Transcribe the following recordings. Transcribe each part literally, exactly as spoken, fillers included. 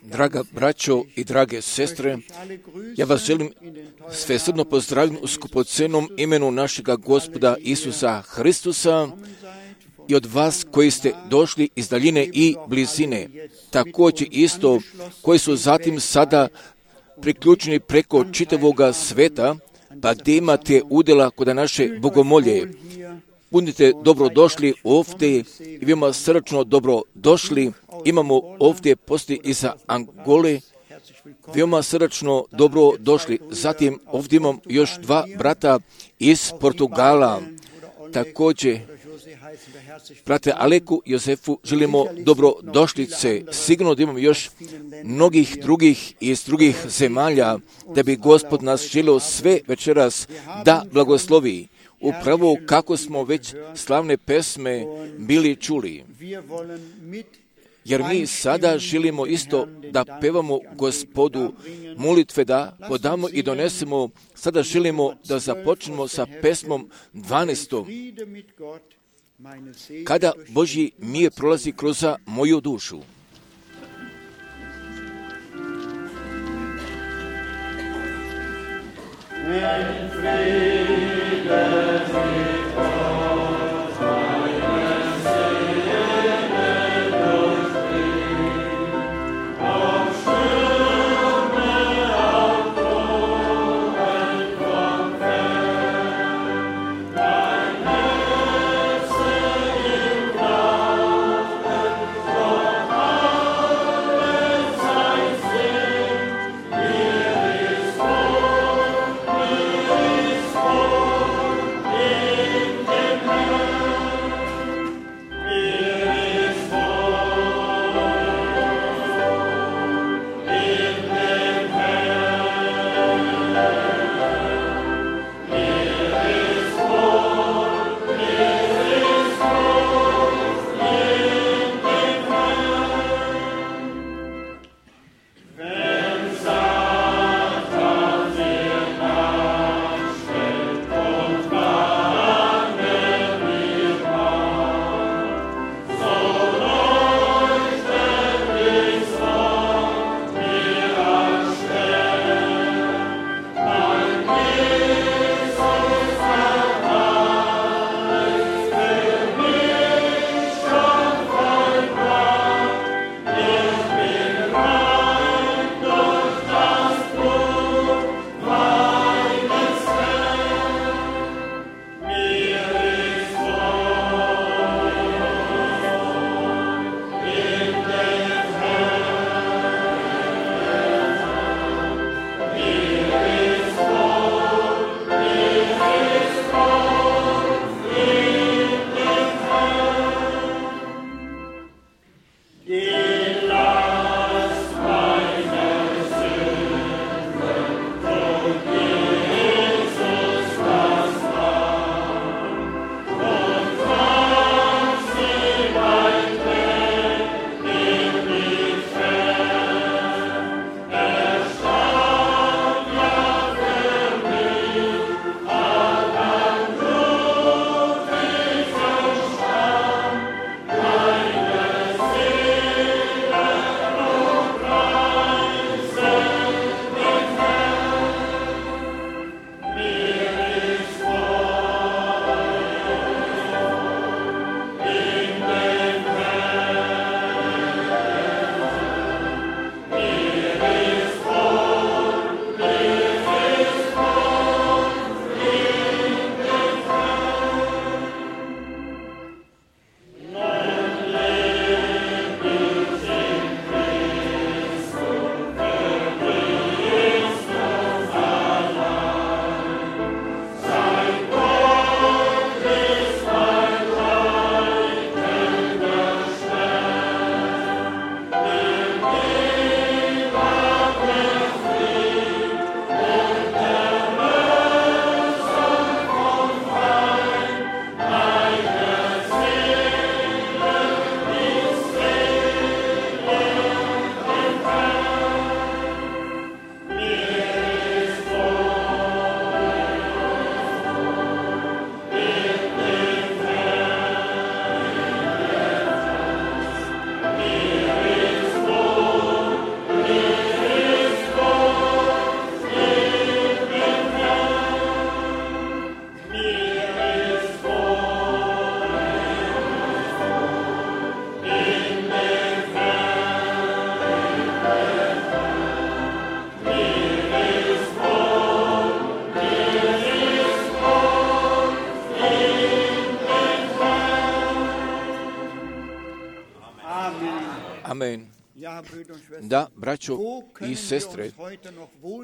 Draga braćo i drage sestre, ja vas želim svesrdno pozdraviti u skupocenom imenu našega Gospoda Isusa Hristusa i od vas koji ste došli iz daljine i blizine, također isto koji su zatim sada priključeni preko čitavoga sveta, pa gdje imate udjela kod naše bogomolje. Budite dobrodošli ovdje i veoma srdačno dobrodošli. Imamo ovdje poslije iza Angole, veoma srdačno dobrodošli. Zatim ovdje imam još dva brata iz Portugala. Također, brate Aleku i Jozefu želimo dobrodošlice. Sigurno da imamo još mnogih drugih iz drugih zemalja, da bi Gospod nas želio sve večeras da blagoslovi. Upravo kako smo već slavne pesme bili čuli. Jer mi sada želimo isto da pevamo Gospodu molitve, da podamo i donesemo. Sada želimo da započnemo sa pesmom dvanaestom. Kada Božji mir prolazi kroz moju dušu. Wenn Friede mit uns meine Seele durchdringt, auf Stürme, auf Wogen vom Fern, dein Herze im Grauen, doch alles sei singt, mir ist wohl, mir ist wohl. Amen. Da, braćo i sestre,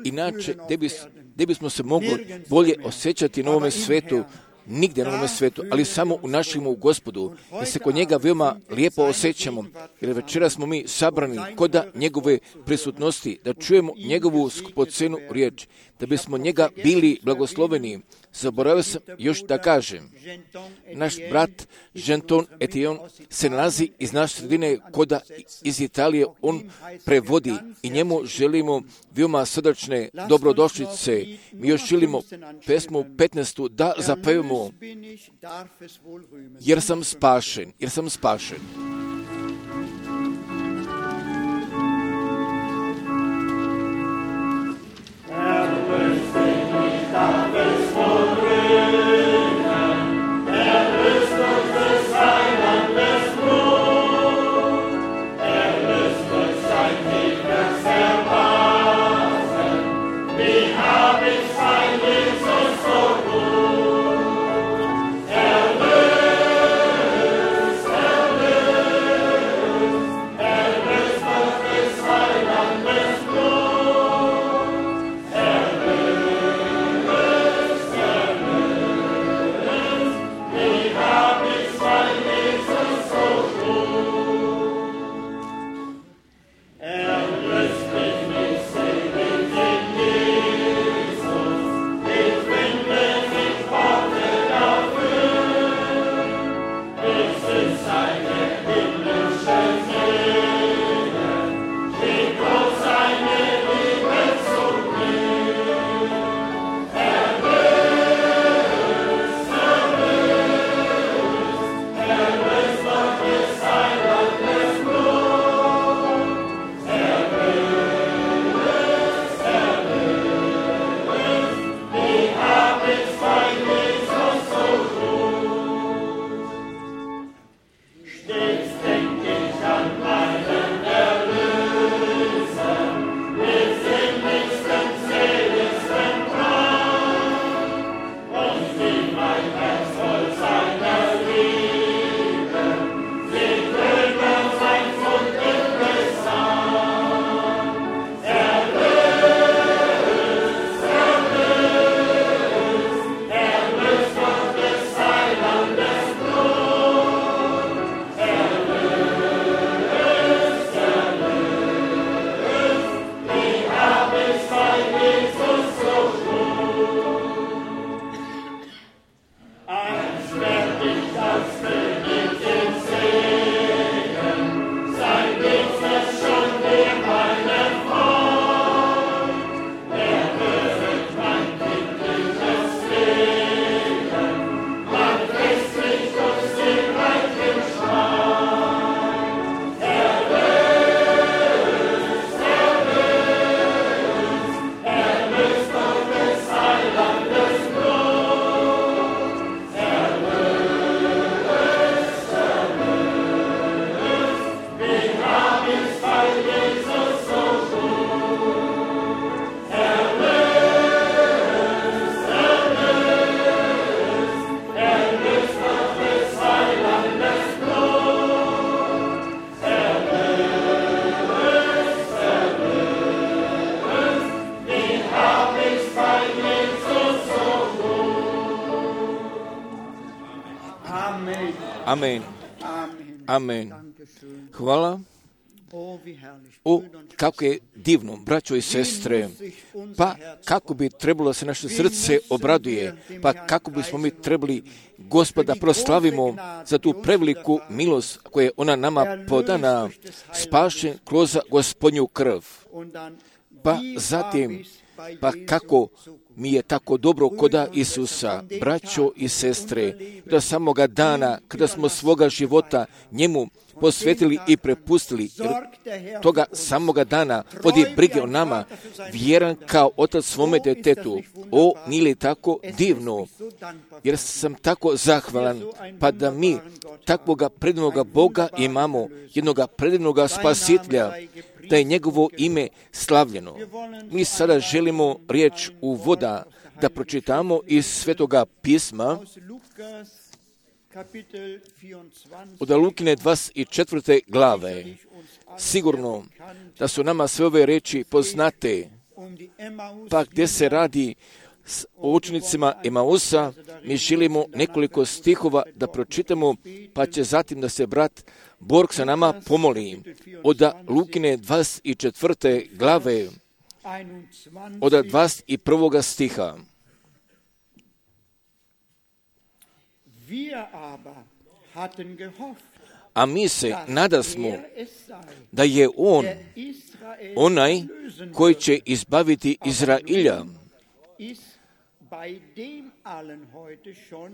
inače, gdje bis, gdje bismo se mogli bolje osjećati na ovome svetu, nigdje na ovome svetu, ali samo u našem u Gospodu, jer se kod njega veoma lijepo osjećamo, jer večera smo mi sabrani koda njegove prisutnosti, da čujemo njegovu skupocenu riječ, da bismo njega bili blagosloveni. Zaboravio sam još da kažem, naš brat Genton Etienne se nalazi iz naše sredine koda iz Italije, on prevodi i njemu želimo veoma srdačne dobrodošlice. Mi još želimo pesmu petnaestu da zapevamo, jer sam spašen, jer sam spašen. Amen. Amen. Hvala. O, kako je divno, braćo i sestre, pa kako bi trebalo se naše srce obraduje, pa kako bismo mi trebali Gospoda proslavimo za tu preveliku milost koja je ona nama podana, spašen kroz Gospodnju krv. Pa zatim, pa kako mi je tako dobro koda Isusa, braćo i sestre, da samoga dana kada smo svoga života njemu posvetili i prepustili, jer toga samoga dana vodi brige o nama, vjeran kao otac svome detetu. O, nije li tako divno, jer sam tako zahvalan, pa da mi takvoga predivnoga Boga imamo, jednoga predivnoga spasitelja, da je njegovo ime slavljeno. Mi sada želimo riječ uvoda da pročitamo iz Svetoga pisma, od Lukine dvadeset četvrte glave. Sigurno da su nama sve ove reči poznate, pa gdje se radi o učenicima Emausa, mi želimo nekoliko stihova da pročitamo, pa će zatim da se brat Borg sa nama pomoli. Od Lukine dvadeset četvrte glave, od dvadeset prvog stiha. A mi se nadasmo da je on onaj koji će izbaviti Izrailja.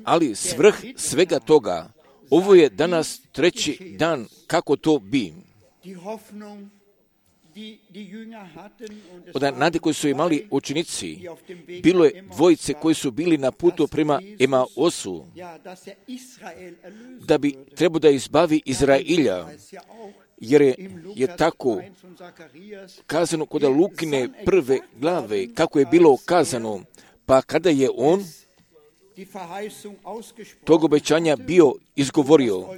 Ali svrh svega toga, ovo je danas treći dan kako to bi. Od nade koji su imali učenici, bilo je dvojice koji su bili na putu prema Emausu, da bi trebao da izbavi Izrailja, jer je, je tako kazano kod Lukine prve glave, kako je bilo kazano, pa kada je on tog obećanja bio izgovorio,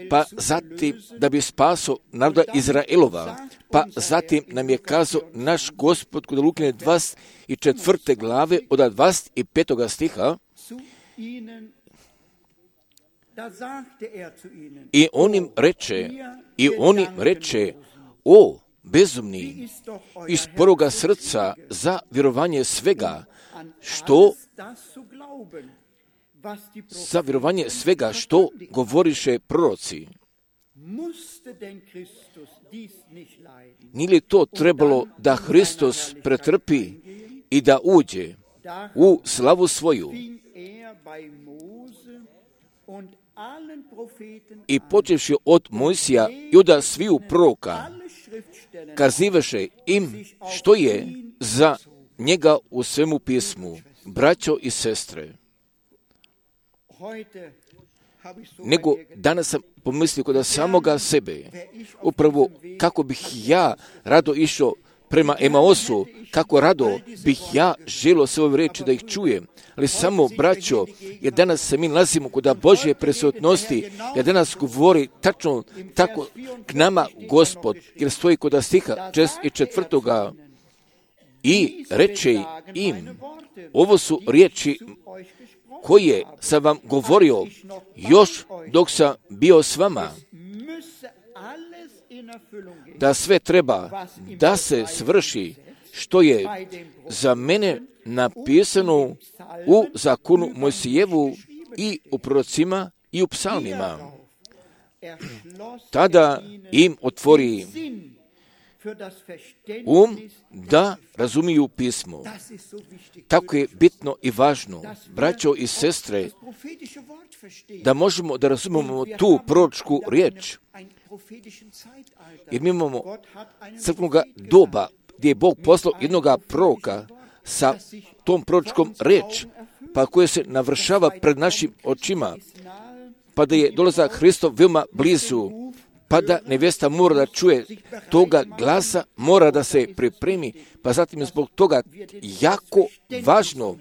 pa zatim da bi spaso naroda Izraelova, pa zatim nam je kazao naš Gospod kod Lukine dvadeset četvrte glave od dvadeset petog stiha, i on im reče, i on im reče, o bezumni, iz prvoga srca za vjerovanje svega, što za vjerovanje svega što govoriše proroci. Nije li to trebalo da Hristos pretrpi i da uđe u slavu svoju? I počevši od Mojsija i od sviju proroka, kazivaše im što je za njega u svemu pismu, braćo i sestre. Nego danas sam pomislio kod samoga sebe, upravo kako bih ja rado išao prema Emausu, kako rado bih ja želio sve ove reči da ih čujem. Ali samo, braćo, jer danas se mi nalazimo kod Božje prisutnosti, jer danas govori tačno tako k nama Gospod, jer stoji kod stiha četrdeset četvrtoga i reče im, ovo su riječi koje sam vam govorio još dok sam bio s vama, da sve treba da se svrši što je za mene napisano u zakonu Mojsijevu i u prorocima i u psalmima. Tada im otvori um da razumiju pismo. Tako je bitno i važno, braćo i sestre, da možemo da razumemo tu proročku riječ. Jer mi imamo crkvenog doba gdje je Bog poslao jednog proroka sa tom proročkom riječ, pa koja se navršava pred našim očima, pa da je dolazak Hristov veoma blizu, pa da nevjesta mora da čuje toga glasa, mora da se pripremi, pa zatim je zbog toga jako važno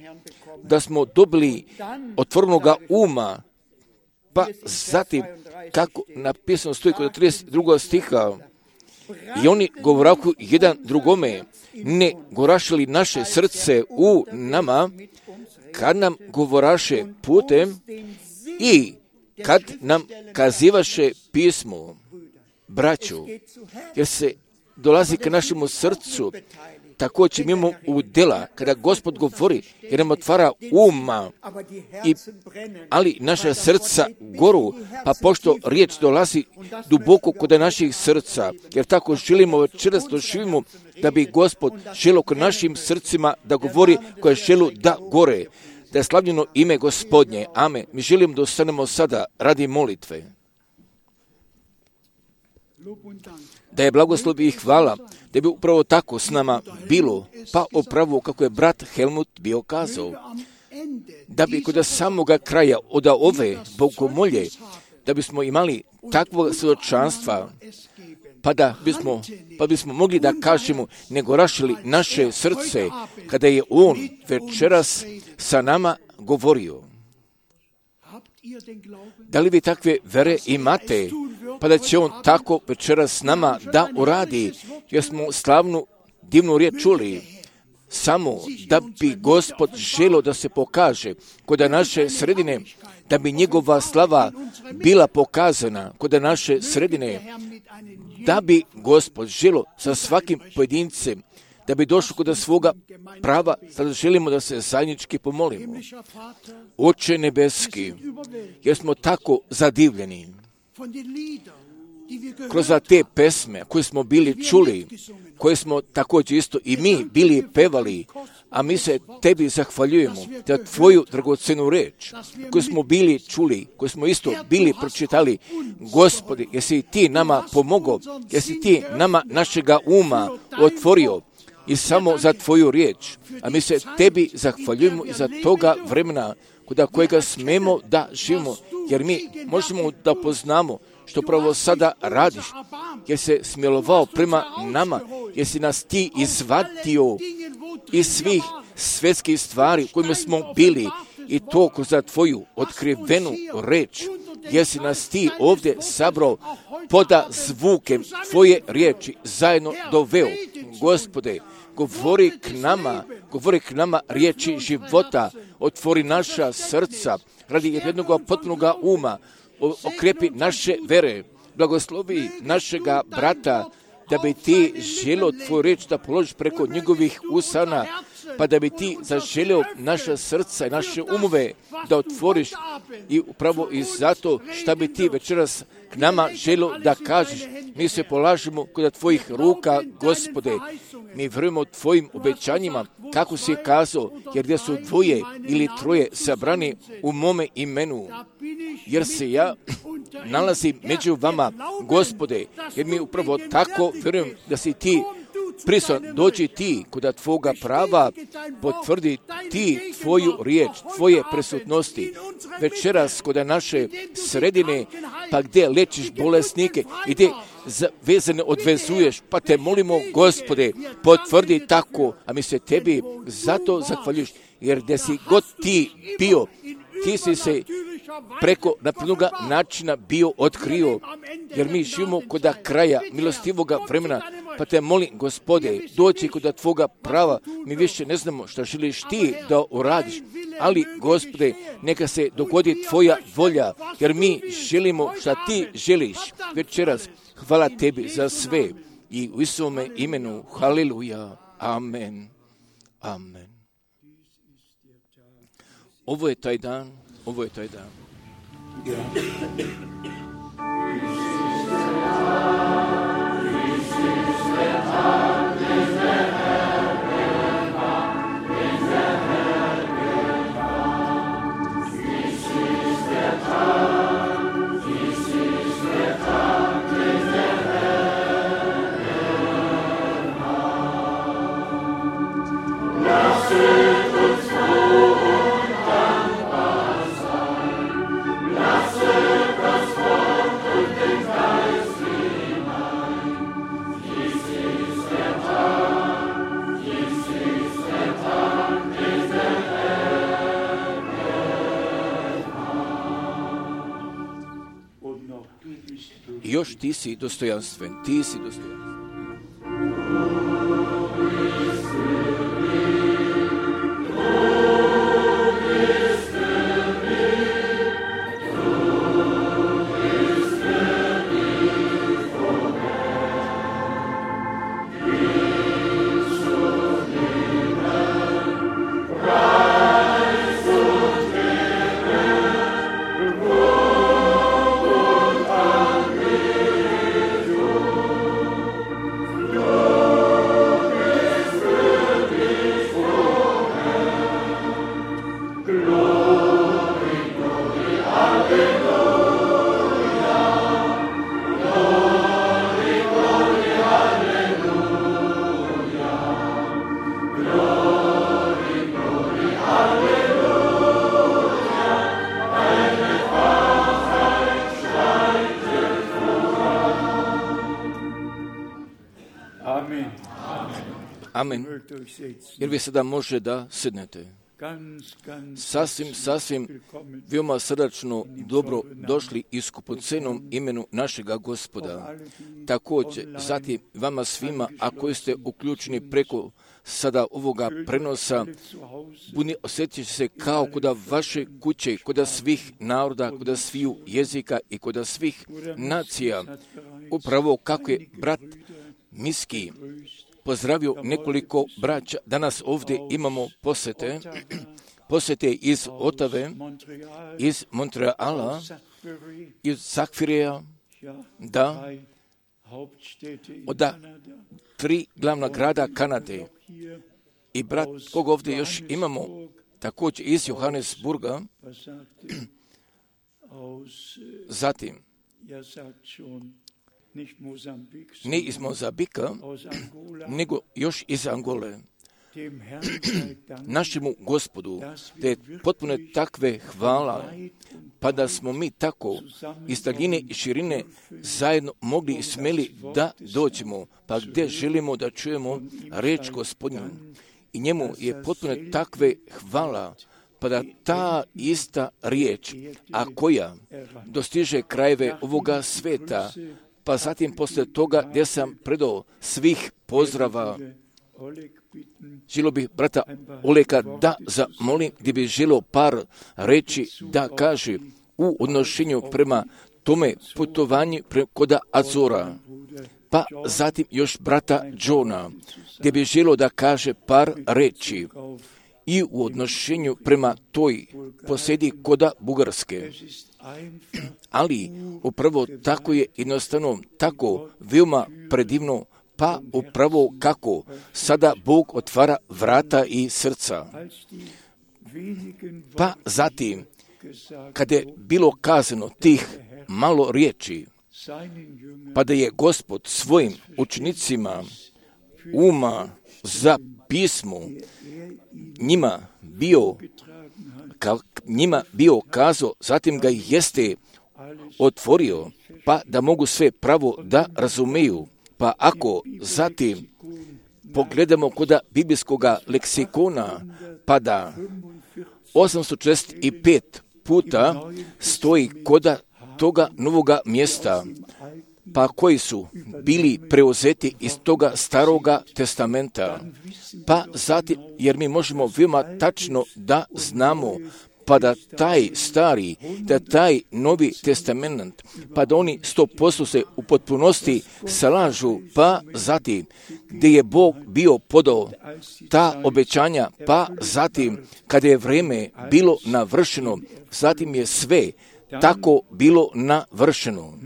da smo dobili otvorenoga uma, pa zatim, kako napisano stoji kod trideset drugog stiha, i oni govoraku jedan drugome, ne govorašili naše srce u nama, kad nam govoraše putem i kad nam kazivaše pismo, braću, jer se dolazi ka našemu srcu, također mimo u dela, kada Gospod govori, jer nam otvara uma, i, ali naša srca goru, pa pošto riječ dolazi duboko kod naših srca, jer tako želimo večeras doživimo da bi Gospod želio kod našim srcima da govori koje želu da gore, da je slavljeno ime Gospodnje. Amen. Mi želimo da ostanemo sada radi molitve. Da je blagoslov i hvala, da bi upravo tako s nama bilo, pa upravo kako je brat Helmut bio kazao, da bi kod samoga kraja od ove bogomolje, da bismo imali takvog svjedočanstva, pa da bismo, pa bismo mogli da kažemo, nego rašili naše srce, kada je On večeras sa nama govorio. Da li vi takve vere imate, pa da će on tako večeras s nama da uradi, jer smo slavnu divnu riječ čuli, samo da bi Gospod želio da se pokaže kod naše sredine, da bi njegova slava bila pokazana kod naše sredine, da bi Gospod želio sa svakim pojedincem, da bi došao kod svoga prava. Sada želimo da se zajednički pomolimo. Oče nebeski, jer smo tako zadivljeni kroz te pesme koje smo bili čuli, koje smo također isto i mi bili pevali, a mi se tebi zahvaljujemo za tvoju dragocenu reč koju smo bili čuli, koju smo isto bili pročitali. Gospodi, jesi ti nama pomogao, jesi ti nama našega uma otvorio i samo za tvoju riječ, a mi se tebi zahvaljujemo i za toga vremena kod kojega smemo da živimo, jer mi možemo da poznamo što pravo sada radiš, jer se smilovao prema nama, jer si nas ti izvatio iz svih svjetskih stvari u kojima smo bili i to kroz tvoju otkrivenu reč, jer si nas ti ovdje sabrao poda zvukem tvoje riječi zajedno doveo. Gospode, govori k nama, govori k nama riječi života, otvori naša srca radi jednog potpunog uma, okrepi naše vere, blagoslovi našega brata, da bi ti želio tvoju reč da položiš preko njegovih usana, pa da bi ti zaželio naša srca i naše umove da otvoriš i upravo i zato šta bi ti večeras k nama želio da kažeš. Mi se polažemo kod tvojih ruka, Gospode. Mi vjerujemo tvojim obećanjima, kako si kazao, jer gdje su dvoje ili troje sabrani u mome imenu, jer se ja nalazim među vama, Gospode, jer mi upravo tako vjerujem da si ti prisutan. Dođi ti kod tvoga prava, potvrdi ti tvoju riječ, tvoje prisutnosti večeras kod naše sredine, pa gdje lečiš bolesnike i gdje vezane odvezuješ, pa te molimo, Gospode, potvrdi tako, a mi se tebi zato zahvaljuš, jer gdje si god ti bio, ti si se preko naprednoga načina bio otkrio, jer mi živimo kod kraja milostivoga vremena, pa te molim, Gospode, doći kod tvoga prava, mi više ne znamo šta želiš ti da uradiš, ali, Gospode, neka se dogodi tvoja volja, jer mi želimo šta ti želiš večeras. Hvala tebi za sve i u Isuvome imenu, haleluja, amen, amen. Ovo je taj dan, ovo je taj dan. I još ti si dostojanstven, ti si dostojanstven. Amen. Jer vi sada može da sednete. sasvim, sasvim veoma srdačno dobro došli i skupocenom imenu našega Gospoda. Također, zatim vama svima, a koji ste uključeni preko sada ovoga prenosa, budi osjetit će se kao koda vaše kuće, koda svih naroda, koda sviju jezika i koda svih nacija. Upravo kako je brat Miski pozdravio nekoliko braća. Danas ovdje imamo posete, posete iz Otave, iz Montreala, iz Sakfireja, da, od tri glavna grada Kanade. I brat, koga ovdje još imamo, također iz Johannesburga, zatim, ne iz Mozambika, nego još iz Angole. Našemu Gospodu, te potpuno takve hvala, pa da smo mi tako iz daljine i širine zajedno mogli i smeli da dođemo, pa gdje želimo da čujemo reč Gospodnju. I njemu je potpuno takve hvala, pa da ta ista riječ, a koja dostiže krajeve ovoga sveta, pa zatim poslije toga gdje sam predao svih pozdrava, želio bih brata Oleka da zamolim, gdje bi želio par reći da kaže u odnošenju prema tome putovanju koda Azora. Pa zatim još brata Johna, gdje bi želio da kaže par reći i u odnošenju prema toj posjedi koda Bugarske. Ali upravo tako je jednostavno, tako veoma predivno, pa upravo kako sada Bog otvara vrata i srca. Pa zatim, kada je bilo kazano tih malo riječi, pa da je Gospod svojim učenicima uma za pismo njima bio, ka, njima bio kazao, zatim ga jeste otvorio, pa da mogu sve pravo da razumeju. Pa ako zatim pogledamo koda biblijskog leksikona, pa da osamsto četrdeset pet puta stoji koda toga novoga mjesta, pa koji su bili preuzeti iz toga staroga testamenta. Pa zatim, jer mi možemo veoma tačno da znamo, pa da taj stari, da taj novi testament, pa da oni sto posto se u potpunosti slažu, pa zatim, gdje je Bog bio podao ta obećanja, pa zatim, kada je vrijeme bilo navršeno, zatim je sve tako bilo navršeno.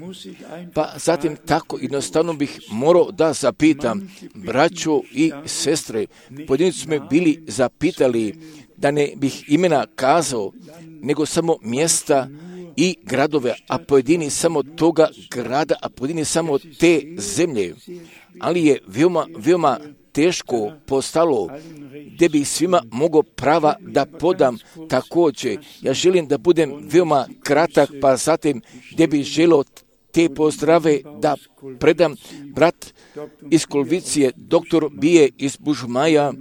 Pa zatim tako jednostavno bih morao da zapitam, braćo i sestre, pojedinci su me bili zapitali da ne bih imena kazao, nego samo mjesta i gradove, a pojedini samo toga grada, a pojedini samo te zemlje. Ali je veoma, veoma teško postalo, gdje bi svima mogao prava da podam također. Ja želim da budem veoma kratak, pa zatim gdje bi želio te pozdrave da predam brat iz Kolvicije, doktor Bije iz Bužmaja,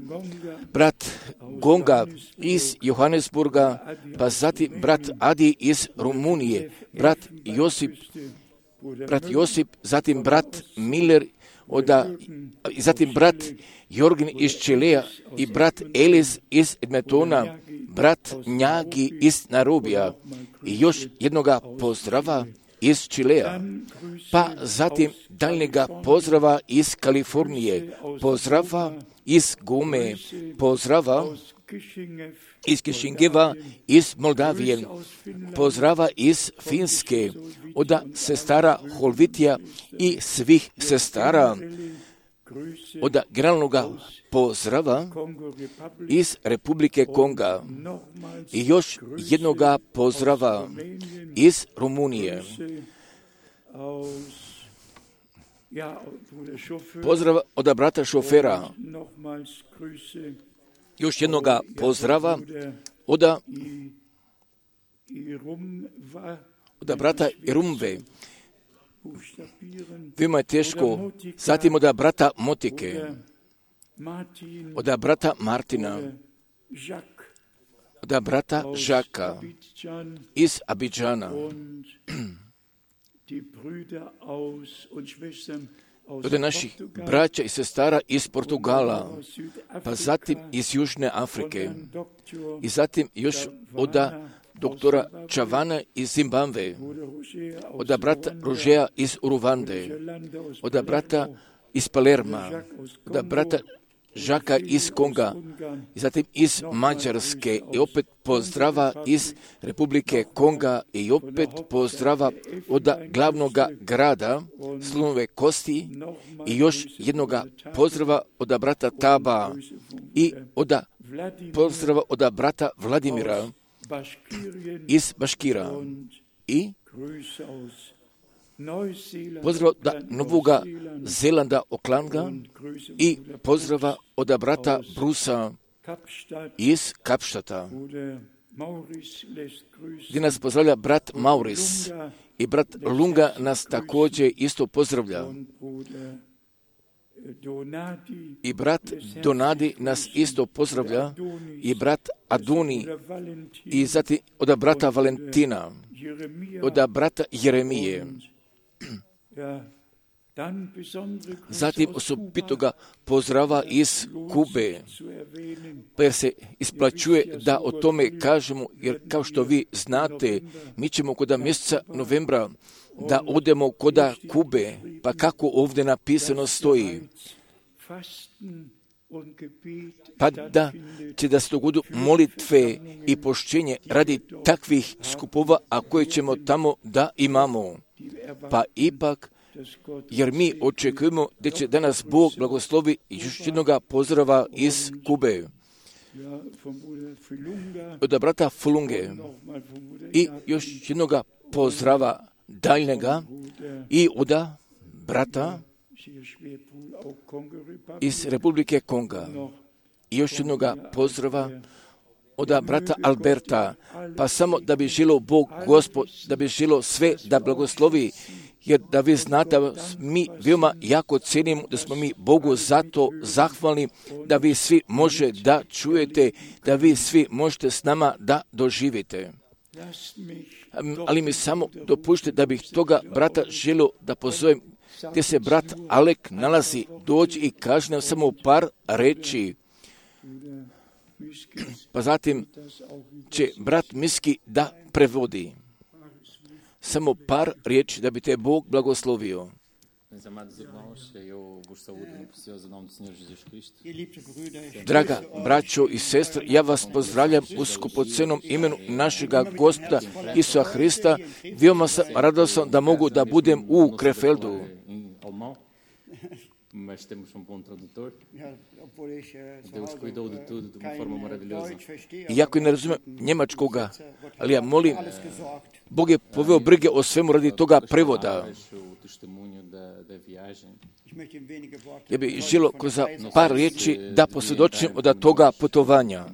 brat Gonga iz Johannesburga, pa zatim brat Adi iz Rumunije, brat Josip, brat Josip, zatim brat Miller, oda, zatim brat Jorgin iz Čeleja i brat Eliz iz Edmontona, brat Njagi iz Narobija i još jednoga pozdrava iz Čileja, pa zatim daljnjega pozdrava iz Kalifornije, pozdrava iz Gome, pozdrava iz Kišingeva, iz Moldavije, pozdrava iz Finske, od sestara Holvitija i svih sestara, od generalnog pozdrava iz Republike Konga i još jednoga pozdrava iz Rumunije. Pozdrav od brata šofera, još jednoga pozdrava od, od brata Irumve. Veoma je teško, zatim od brata Motike, od brata Martina da brata Žaka iz Abidžana, od naših braća i sestara iz Portugala, pa zatim iz Južne Afrike i zatim još od doktora Čavana iz Zimbabve, od brata Rožeja iz Uruvande, od brata iz Palerma, od brata Žaka iz Konga, i zatim iz Mađarske, i opet pozdrava iz Republike Konga, i opet pozdrava od glavnog grada Slunove Kosti, i još jednoga pozdrava od brata Taba, i od pozdrava od brata Vladimira iz Baškira, i pozdrava od Novoga Zelanda Oklanga, i pozdrava od brata Brusa iz Kapštata, gdje nas pozdravlja brat Mauris, i brat Lunga nas također isto pozdravlja, i brat Donadi nas isto pozdravlja, i brat Aduni, i zatim od brata Valentina, od brata Jeremije. Zatim osobitoga pozdrava iz Kube, pa jer se isplaćuje da o tome kažemo, jer kao što vi znate, mi ćemo kod mjeseca novembra da odemo kod Kube, pa kako ovdje napisano stoji, pa da će da se dogodu molitve i pošćenje radi takvih skupova, a koje ćemo tamo da imamo. Pa ipak, jer mi očekujemo da će danas Bog blagoslovi još jednoga pozdrava iz Kube, od brata Fulunge, i još jednoga pozdrava daljnjega, i od brata iz Republike Konga, i još jednoga pozdrava od brata Alberta, pa samo da bi želio Bog Gospod, da bi želio sve da blagoslovi, jer da vi znate da mi veoma jako cijenimo, da smo mi Bogu zato zahvalni, da vi svi može da čujete, da vi svi možete s nama da doživite. Ali mi samo dopušte da bih toga brata želio da pozovem, gdje se brat Alek nalazi, dođi i kaže nam samo par reči. Pa zatim će brat Miski da prevodi. Samo par riječi da bi te Bog blagoslovio. Draga braćo i sestre, ja vas pozdravljam u skupocenom imenu našega Gospoda Isusa Hrista. Veoma sam radosan da mogu da budem u Krefeldu. Mas temos um bom tradutor. Deus cuidou de tudo de uma forma maravilhosa. Iako ne razumijem njemačkoga, ali ja molim, Bog je poveo brige o svemu radi toga prevoda. Ja bih želio kroz par riječi da posvjedočim od toga putovanja.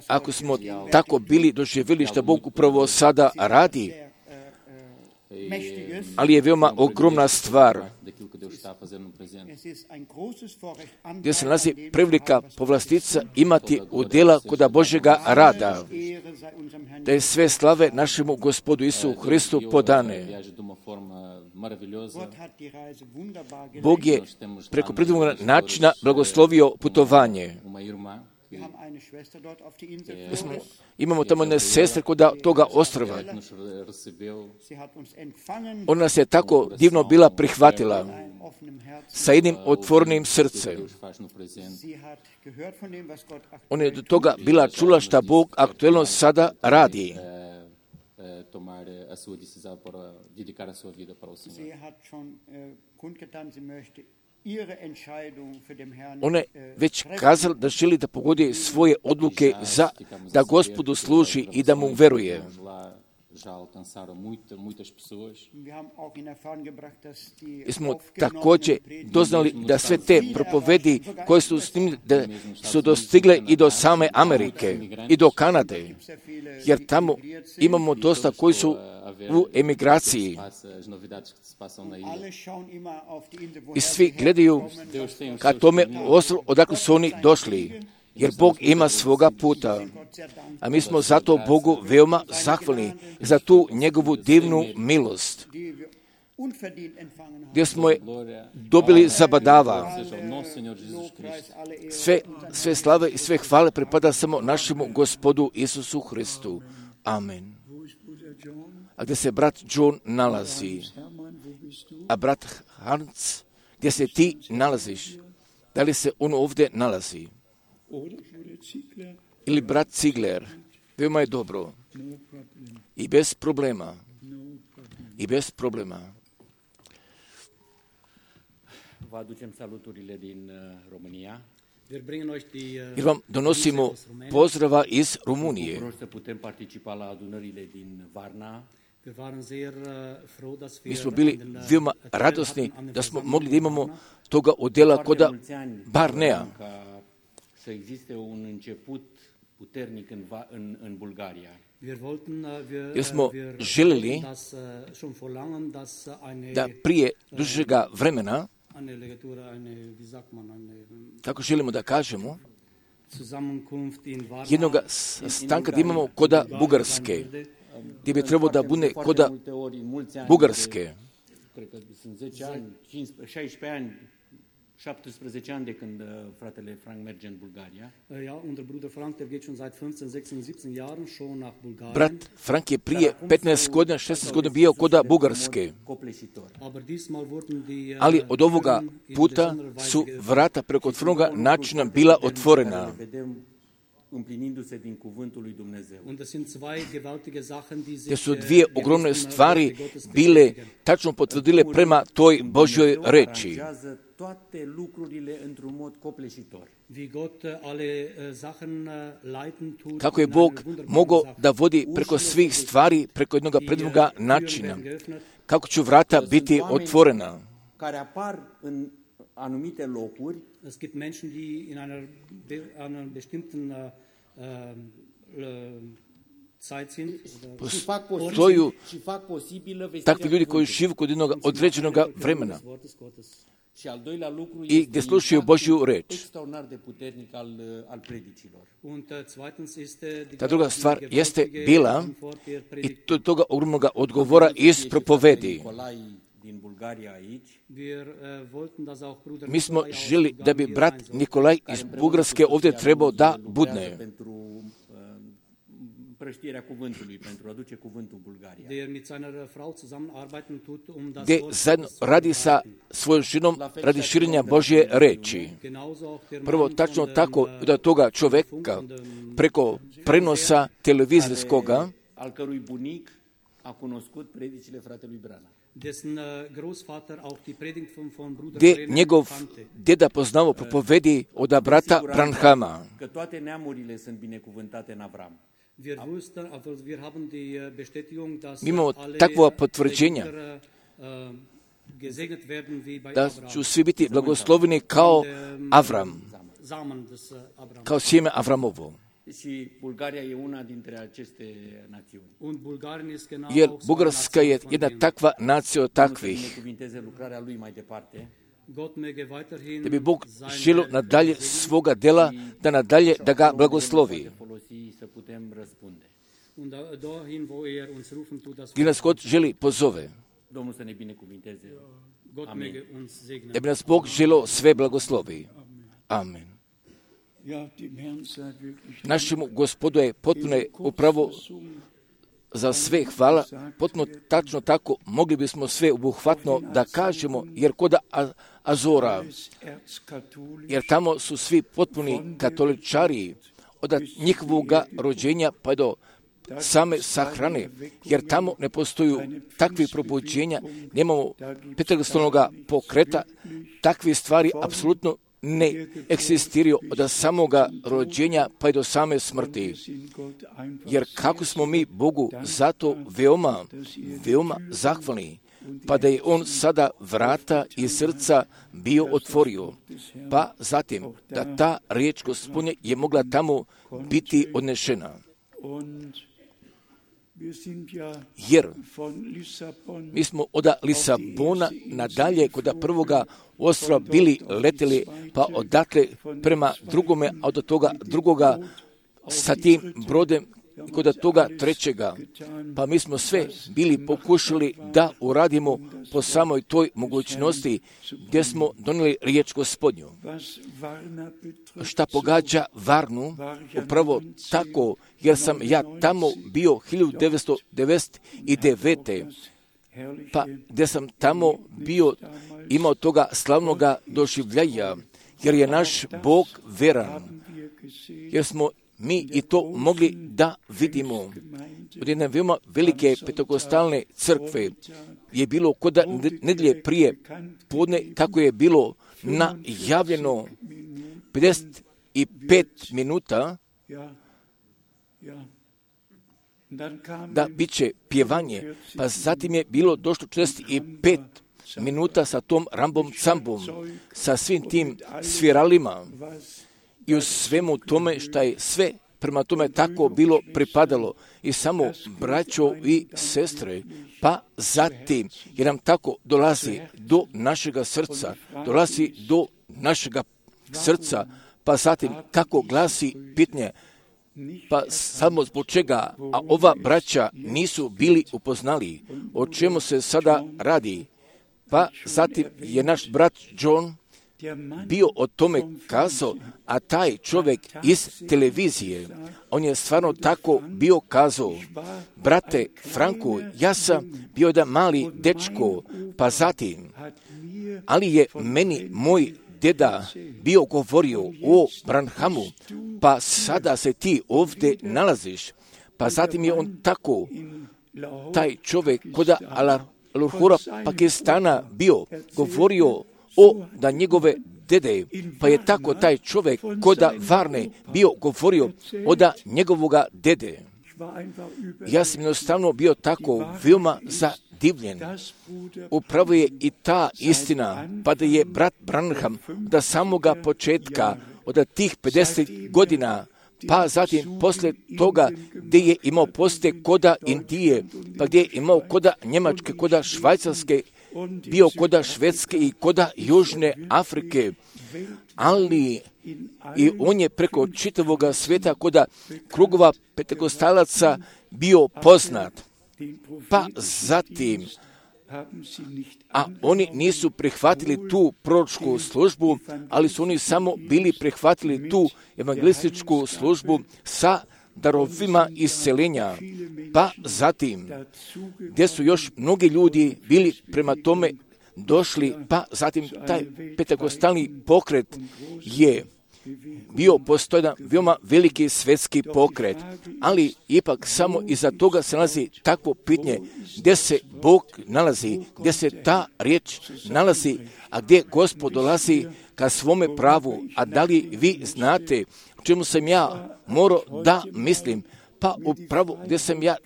Ako smo tako bili doživjeli što Bog upravo sada radi, ali je veoma ogromna stvar, gdje se nalazi prevelika povlastica imati udjela kod Božjega rada, da je sve slave našemu Gospodu Isu Hristu podane. Bog je preko predivnog načina blagoslovio putovanje. Imamo tamo jedne sestre kod toga ostrva. Ona nas je tako divno bila prihvatila sa jednim otvorenim srcem. Ona je do toga bila čula šta Bog aktuelno sada radi. Ona je već kazala da želi da pogodi svoje odluke za da Gospodu služi i da mu veruje. I smo također doznali da sve te propovedi koje su snimili, da su dostigle i do same Amerike i do Kanade, jer tamo imamo dosta koji su u emigraciji. I svi gledaju ka tome ostrovu odakle su oni došli, jer Bog ima svoga puta. A mi smo zato Bogu veoma zahvalni za tu njegovu divnu milost, gdje smo je dobili zabadava. Sve, sve slave i sve hvale pripada samo našemu Gospodu Isusu Hristu. Amen. A gdje se brat John nalazi? A brat Hans, gdje se ti nalaziš? Da li se on ovdje nalazi? Ili brat Ziegler? Veoma je dobro. I bez problema. I bez problema. Vă aducem saluturile din România. Jer vam donosimo pozdrava iz Rumunije. Mi smo bili veoma radosni da smo mogli da imamo toga odjela koda Barnea. Jer smo željeli da prije dužega vremena, kako želimo da kažemo, jednog stanka da imamo koda Bugarske, gdje bi trebalo da bude koda Bugarske. șaptesprezece ani de când fratele Frank merge în Bulgaria. Ja, unser Bruder Frank, der geht schon seit fünfzehn, sechzehn, siebzehn Jahren schon nach Bulgarien. Brat Frank je prije petnaest godina, šesnaest godina bio koda Bugarske. Ali od ovoga puta su vrata preko otvorenoga načina bila otvorena. Te su dvije ogromne stvari bile tačno potvrdile prema toj Božjoj reči. Kako je Bog mogao da vodi preko svih stvari, preko jednog predivnog načina. Kako će vrata biti otvorena. Es gibt Menschen, die in einer, einer bestimmten uh, uh, Zeit sind. Postoju takvi ljudi koji žive kod jednog određenog vremena i gdje slušaju Božju reč. Ta druga stvar jeste bila i to toga ogromnog odgovora iz propovedi. Mi smo želi da bi brat Nikolaj iz Bugarske ovdje trebao da budne. Gdje zajedno radi sa svojom ženom radi širenja Božje reči. Prvo, tačno tako da toga čovjeka preko prenosa televizijskoga gdje njegov deda poznao propovedi od brata Branhama. Mi imamo takva potvrđenja da će svi biti blagosloveni kao Avram, kao sjeme Avramovo. Jer Bugarska je jedna takva nacija od takvih. Da bi Bog želio nadalje svoga dela, da nadalje da ga blagoslovi. Gdje nas God želi pozove. Da bi nas Bog želio sve blagoslovi. Amen. Našemu Gospodu je potpuno upravo za sve hvala, potpuno tačno tako mogli bismo sve obuhvatno da kažemo, jer kod Azora, jer tamo su svi potpuni katoličari od njihovog rođenja pa do same sahrane, jer tamo ne postoju takvi probuđenja, nemamo petarstolnog pokreta, takve stvari apsolutno ne eksistiraju od samoga rođenja pa i do same smrti. Jer kako smo mi Bogu zato veoma, veoma zahvalni, pa da je On sada vrata i srca bio otvorio, pa zatim da ta riječ Gospodnja je mogla tamo biti odnešena. Jer mi smo od Lisabona nadalje kod prvoga ostrva bili leteli, pa odatle prema drugome, a od toga drugoga sa tim brodem kod toga trećega. Pa mi smo sve bili pokušali da uradimo po samoj toj mogućnosti gdje smo donijeli riječ Gospodnju. Šta pogađa Varnu, upravo tako, jer sam ja tamo bio hiljadu devetsto devedeset devete. Pa gdje sam tamo bio imao toga slavnoga doživljaja, jer je naš Bog veran, jer smo mi i to mogli da vidimo. Od jedne veoma velike pentekostalne crkve je bilo kod nedjelje prije podne, kako je bilo najavljeno pedeset pet minuta da bit će pjevanje, pa zatim je bilo došlo četrdeset pet minuta sa tom rambom cambom, sa svim tim sviralima i u svemu tome što je sve prema tome tako bilo pripadalo. I samo braćo i sestre, pa zatim, jer nam tako dolazi do našega srca, dolazi do našega srca, pa zatim kako glasi pitanje, pa samo zbog čega, a ova braća nisu bili upoznali o čemu se sada radi. Pa zatim je naš brat John bio o tome kazao, a taj čovjek iz televizije, on je stvarno tako bio kazao, brate Franko, ja sam bio da mali dečko, pa zatim, ali je meni moj deda bio govorio o Branhamu, pa sada se ti ovdje nalaziš, pa zatim je on tako, taj čovjek kod Lahora Pakistana bio govorio o da njegove dede, pa je tako taj čovjek kod Varne bio govorio o da njegovoga dede. Ja sam jednostavno bio tako veoma zadivljen. Upravo je i ta istina, pa da je brat Branham da samoga početka, od tih pedeset godina, pa zatim poslije toga gdje je imao poste koda Indije, pa gdje je imao koda Njemačke, koda Švajcarske, bio koda Švedske i koda Južne Afrike, ali i on je preko čitavog svijeta koda krugova pentekostalaca bio poznat. Pa zatim, a oni nisu prihvatili tu proročku službu, ali su oni samo bili prihvatili tu evangelističku službu sa darovima isceljenja. Pa zatim, gdje su još mnogi ljudi bili prema tome došli, pa zatim taj pentekostalni pokret je bio postojan veoma veliki svjetski pokret, ali ipak samo iza toga se nalazi takvo pitanje gdje se Bog nalazi, gdje se ta riječ nalazi, a gdje Gospod dolazi ka svome pravu. A da li vi znate o čemu sam ja morao da mislim? Pa upravo gdje sam ja,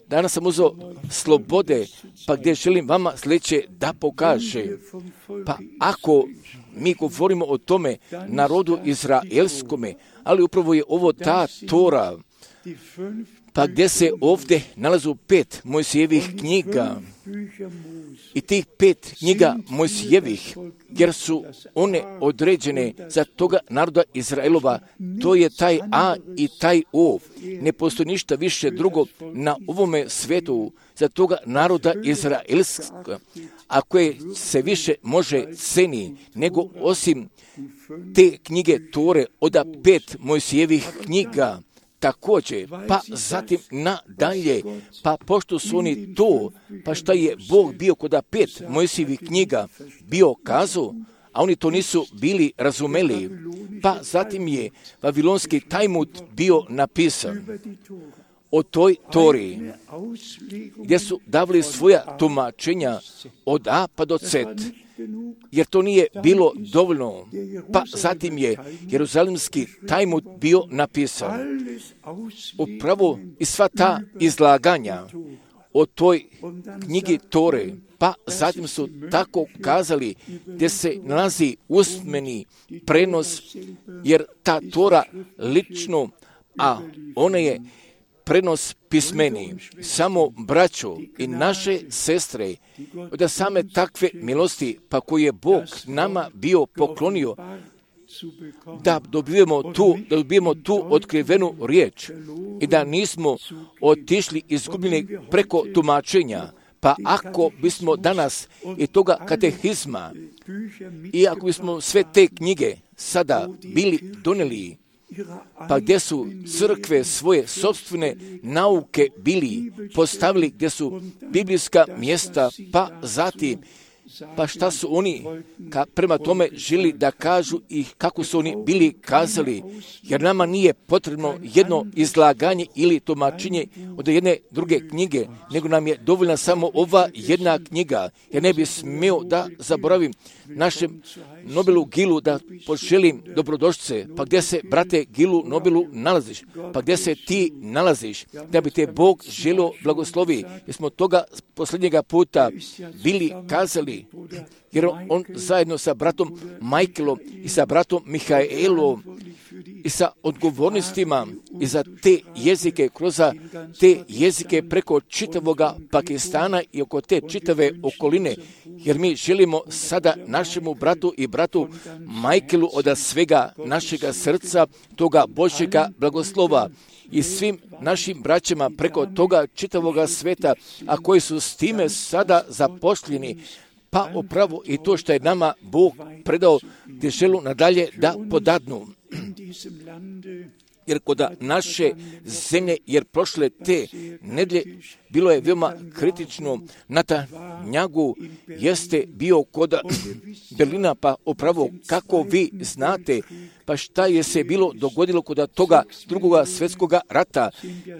danas sam uzeo slobode, pa gdje želim vama sljedeće da pokaže. Pa ako mi govorimo o tome narodu izraelskome, ali upravo je ovo ta Tora, pa gdje se ovdje nalazu pet Mojsijevih knjiga i tih pet knjiga Mojsijevih, jer su one određene za toga naroda Izraelova, to je taj A i taj O. Ne postoji ništa više drugo na ovome svijetu za toga naroda Izraelska, a koje se više može ceni nego osim te knjige Tore od pet Mojsijevih knjiga. Također, pa zatim nadalje, pa pošto su oni to, pa šta je Bog bio kod pet Mojsijevih knjiga bio kazao, a oni to nisu bili razumeli, pa zatim je Vavilonski Talmud bio napisan o toj Tori, gdje su davali svoja tumačenja od A pa do Z. jer to nije bilo dovoljno. Pa zatim je Jeruzalemski Talmud bio napisan. Upravo i sva ta izlaganja o toj knjigi Tore, pa zatim su tako kazali gdje se nalazi usmeni prenos, jer ta Tora lično, a ona je prenos pismeni. Samo braćo i naše sestre, da same takve milosti, pa koje je Bog nama bio poklonio, da dobijemo tu, da dobijemo tu otkrivenu riječ i da nismo otišli izgubljeni preko tumačenja. Pa ako bismo danas i toga katehizma i ako bismo sve te knjige sada bili donijeli, pa gdje su crkve svoje sopstvene nauke bili postavili, gdje su biblijska mjesta, pa zatim pa šta su oni ka, prema tome želi da kažu i kako su oni bili kazali, jer nama nije potrebno jedno izlaganje ili tumačenje od jedne druge knjige, nego nam je dovoljna samo ova jedna knjiga. Ja ne bih smio da zaboravim našem Nobilu Gilu da poželim dobrodošlice, pa gdje se, brate Gilu Nobilu, nalaziš, pa gdje se ti nalaziš, da bi te Bog želio blagoslovi, jer smo toga posljednjega puta bili kazali, jer on zajedno sa bratom Michaelom i sa bratom Mihaelom i sa odgovornostima i za te jezike, kroz te jezike preko čitavoga Pakistana i oko te čitave okoline, jer mi želimo sada našemu bratu i bratu Michaelu od svega našega srca toga Božjega blagoslova i svim našim braćama preko toga čitavoga sveta, a koji su s time sada zapošljeni, pa upravo i to što je nama Bog predao, gdje želu nadalje da podadnu. Jer kod naše zemlje, jer prošle te nedjelje bilo je veoma kritično, Netanjahu jeste bio kod Berlina, pa upravo kako vi znate, pa šta je se bilo dogodilo kod toga drugoga svjetskoga rata,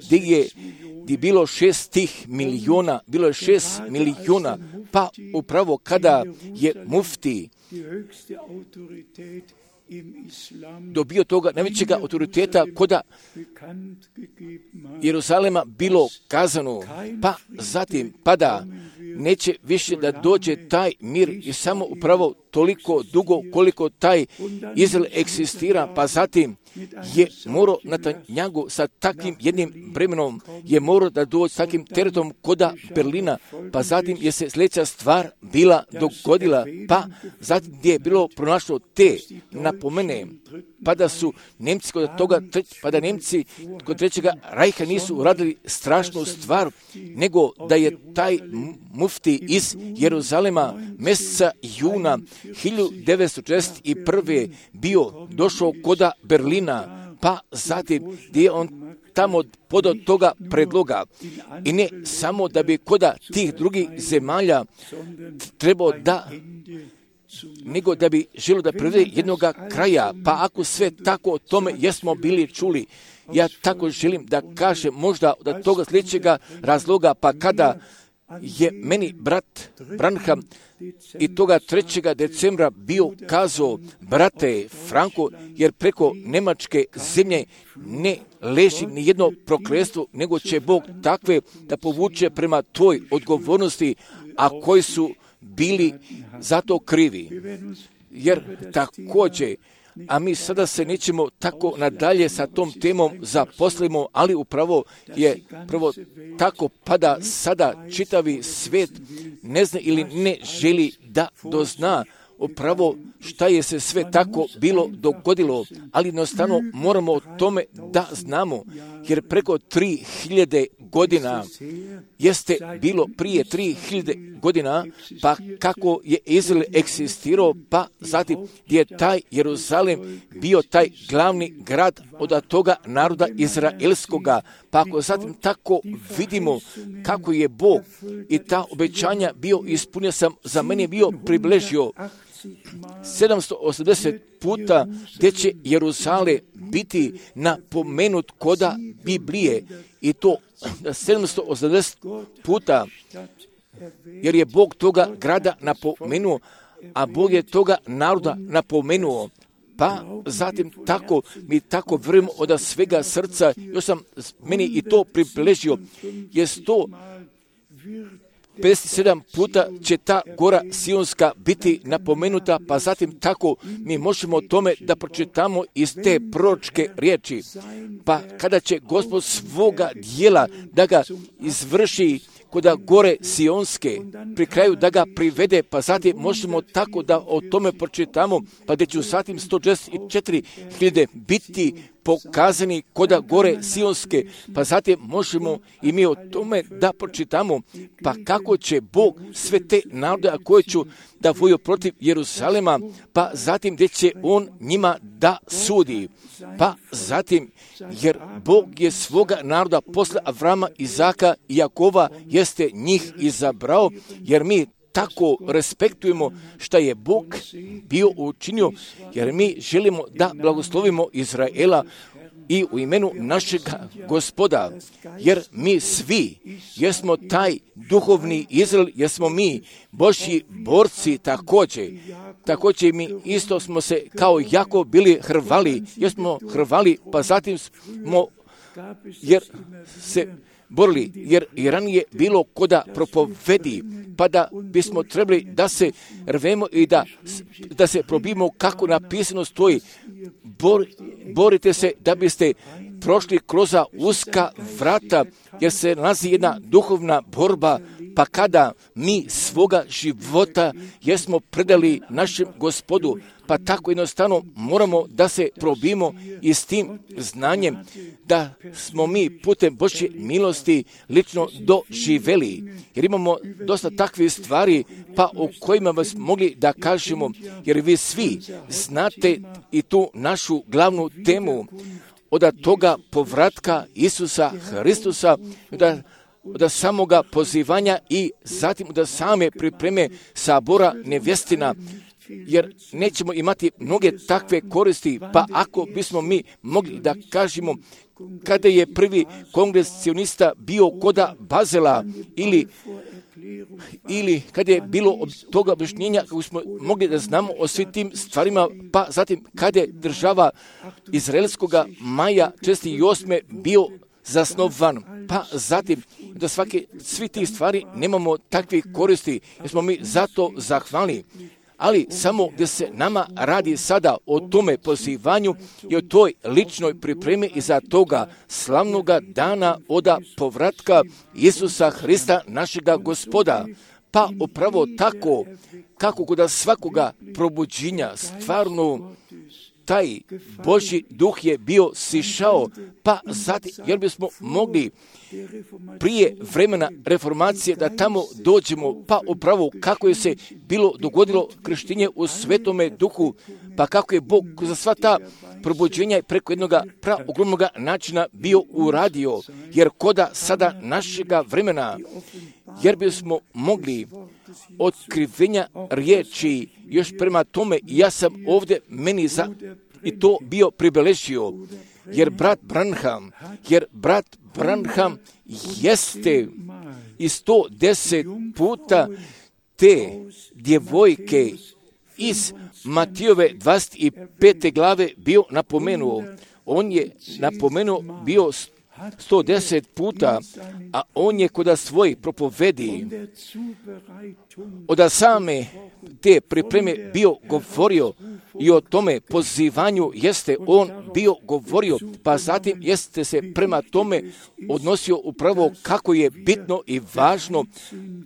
gdje je gdje bilo šest tih milijuna, bilo je šest milijuna, pa upravo kada je mufti dobio toga najvećega autoriteta koda Jeruzalema bilo kazano, pa zatim pada, neće više da dođe taj mir i samo upravo toliko dugo koliko taj Izrael eksistira, pa zatim je morao Netanjahu sa takvim jednim bremenom, je morao da dođe s takvim teretom koda Berlina, pa zatim je se sljedeća stvar bila dogodila, pa zatim gdje je bilo pronašlo te napomene, pa da su Nemci kod toga, pa da Nemci kod trećega rajha nisu uradili strašnu stvar, nego da je taj mufti iz Jeruzalema mjeseca juna hiljadu devetsto četrdeset prve bio došao koda Berlina, pa zatim gdje je on tamo podao toga predloga. I ne samo da bi koda tih drugih zemalja trebao da, nego da bi želio da privede jednoga kraja. Pa ako sve tako o tome jesmo bili čuli, ja tako želim da kažem možda od toga sljedećega razloga, pa kada je meni brat Branham i toga trećega decembra bio kazao, brate Franko, jer preko Njemačke zemlje ne leži ni jedno prokletstvo, nego će Bog takve da povuče prema tvoj odgovornosti, a koji su bili zato krivi. Jer također, a mi sada se nećemo tako nadalje sa tom temom zaposlimo, ali upravo je prvo tako pada sada čitavi svijet ne zna ili ne želi da dozna upravo šta je se sve tako bilo dogodilo, ali jednostavno moramo o tome da znamo, jer preko tri hiljade godina jeste bilo prije tri hiljade godina, pa kako je Izrael eksistirao, pa zatim gdje je taj Jeruzalem bio taj glavni grad od toga naroda izraelskoga, pa ako zatim tako vidimo kako je Bog i ta obećanja bio ispunio, sam za mene bio približio sedamsto osamdeset puta gdje će Jeruzalem biti napomenut koda Biblije, i to sedamsto osamdeset puta, jer je Bog toga grada napomenuo, a Bog je toga naroda napomenuo. Pa zatim tako, mi tako vjerujemo od svega srca, još sam meni i to približio, je sto pedeset sedam puta će ta gora Sionska biti napomenuta, pa zatim tako mi možemo o tome da pročitamo iz te proročke riječi. Pa kada će Gospod svoga dijela da ga izvrši kod gore Sionske, pri kraju da ga privede, pa zatim možemo tako da o tome pročitamo, pa gdje ću zatim sto šezdeset četiri hiljade biti pokazani koda gore Sionske, pa zatim možemo i mi o tome da pročitamo, pa kako će Bog sve te narode, a koje ću da voju protiv Jeruzalema, pa zatim gdje će On njima da sudi. Pa zatim, jer Bog je svoga naroda posle Avrama, Izaka i Jakova jeste njih izabrao, jer mi tako respektujemo šta je Bog bio učinio, jer mi želimo da blagoslovimo Izraela i u imenu našeg Gospoda, jer mi svi jesmo taj duhovni Izrael, jesmo mi Božji borci također. Također mi isto smo se kao Jakov bili hrvali, jesmo hrvali, pa zatim smo, jer se borili, jer i ranije bilo koda propovedi, pa da bismo trebali da se rvemo i da, da se probimo kako napisano stoji. Bor, borite se da biste prošli kroz uska vrata, jer se nalazi jedna duhovna borba, pa kada mi svoga života jesmo predali našem Gospodu, pa tako jednostavno moramo da se probimo i s tim znanjem da smo mi putem Božje milosti lično doživeli. Jer imamo dosta takvih stvari pa o kojima vas mogli da kažemo, jer vi svi znate i tu našu glavnu temu od toga povratka Isusa Hristusa, da od samoga pozivanja i zatim od same pripreme sabora nevjestina, jer nećemo imati mnoge takve koristi, pa ako bismo mi mogli da kažemo kada je prvi kongres sionista bio koda Bazela ili ili kada je bilo od toga objašnjenja kako smo mogli da znamo o svim tim stvarima, pa zatim kada je država izraelskoga maja četrdeset osme bio zasnovan, pa zatim da svake, svi tih stvari nemamo takvih koristi, jer smo mi zato zahvalni. Ali samo gdje se nama radi sada o tome pozivanju i o toj ličnoj pripremi i za toga slavnoga dana oda povratka Isusa Hrista našega Gospoda. Pa upravo tako kako kod svakoga probuđenja stvarno taj Božji duh je bio sišao, pa zatim, jer bismo mogli prije vremena reformacije da tamo dođemo, pa upravo kako je se bilo dogodilo krštenje u Svetome Duhu, pa kako je Bog za sva ta probuđenja preko jednog praogromnog načina bio uradio, jer koda sada našega vremena, jer bismo mogli otkrivenja riječi još prema tome, ja sam ovdje meni za i to bio pribeležio, jer brat Branham, jer brat Branham jeste i sto deset puta te djevojke iz Matijove dvadeset pete glave bio napomenuo. On je napomenuo bio sto deset puta, a on je kod svojih propovedi od same te pripreme bio govorio i o tome pozivanju jeste on bio govorio, pa zatim jeste se prema tome odnosio upravo kako je bitno i važno,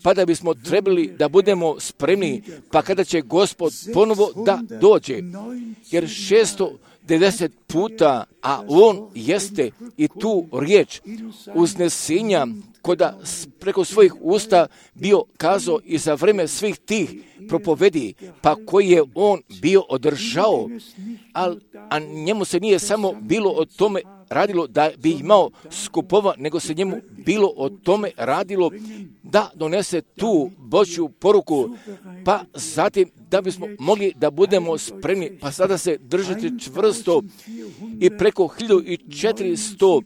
pa da bismo trebali da budemo spremni, pa kada će Gospod ponovo da dođe, jer šesto devedeset puta, a on jeste i tu riječ uznesenja koda preko svojih usta bio kazao i za vreme svih tih propovedi, pa koji je on bio održao, a, a njemu se nije samo bilo o tome radilo da bi imao skupova, nego se njemu bilo o tome radilo da donese tu Božju poruku, pa zatim da bismo mogli da budemo spremni, pa sada se držati čvrsto i preko hiljadu četiristo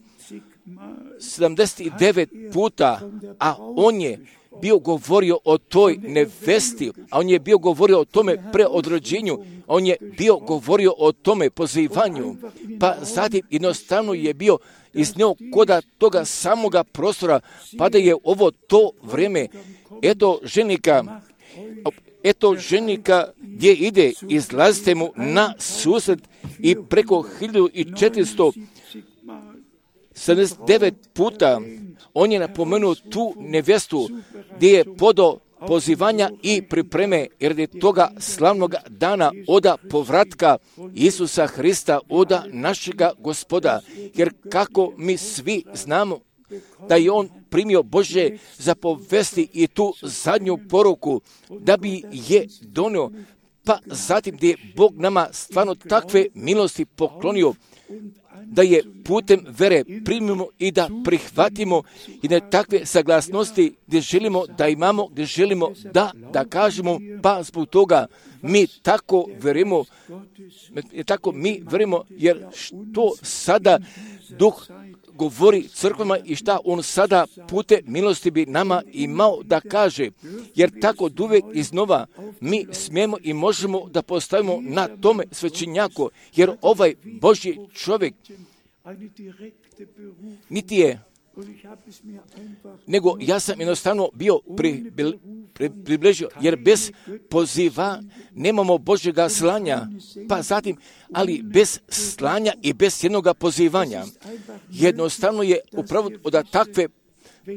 sedamdeset devet puta, a on je bio govorio o toj nevesti, a on je bio govorio o tome preodrođenju, on je bio govorio o tome pozivanju, pa zatim jednostavno je bio iznio koda toga samoga prostora, pa da je ovo to vrijeme, eto ženika, eto ženika gdje ide, izlazite mu na susret i preko hiljadu četiristo sedamdeset devet puta on je napomenuo tu nevestu gdje je podao pozivanja i pripreme, jer je toga slavnog dana oda povratka Isusa Hrista, oda našega Gospoda, jer kako mi svi znamo da je on primio Božje zapovesti i tu zadnju poruku da bi je donio, pa zatim gdje je Bog nama stvarno takve milosti poklonio, da je putem vere primimo i da prihvatimo i da takve saglasnosti gdje želimo da imamo, gdje želimo da, da kažemo, pa zbog toga mi tako verimo, tako mi verimo, jer što sada Duh govori crkvama i šta on sada pute milosti bi nama imao da kaže, jer tako uvijek iznova mi smijemo i možemo da postavimo na tome svećenjaku, jer ovaj Božji čovjek niti je, nego ja sam jednostavno bio pri, pri, približio, jer bez poziva nemamo Božjega slanja, pa zatim, ali bez slanja i bez jednoga pozivanja, jednostavno je upravo od takve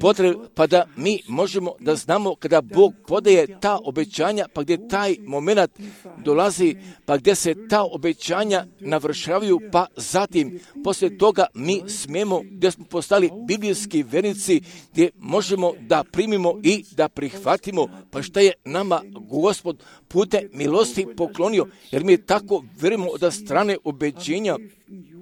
potrebe, pa da mi možemo da znamo kada Bog podaje ta obećanja, pa gdje taj moment dolazi, pa gdje se ta obećanja navršavaju, pa zatim poslije toga mi smijemo, gdje smo postali biblijski vernici, gdje možemo da primimo i da prihvatimo, pa šta je nama Gospod putem milosti poklonio, jer mi tako verimo od strane ubeđenja,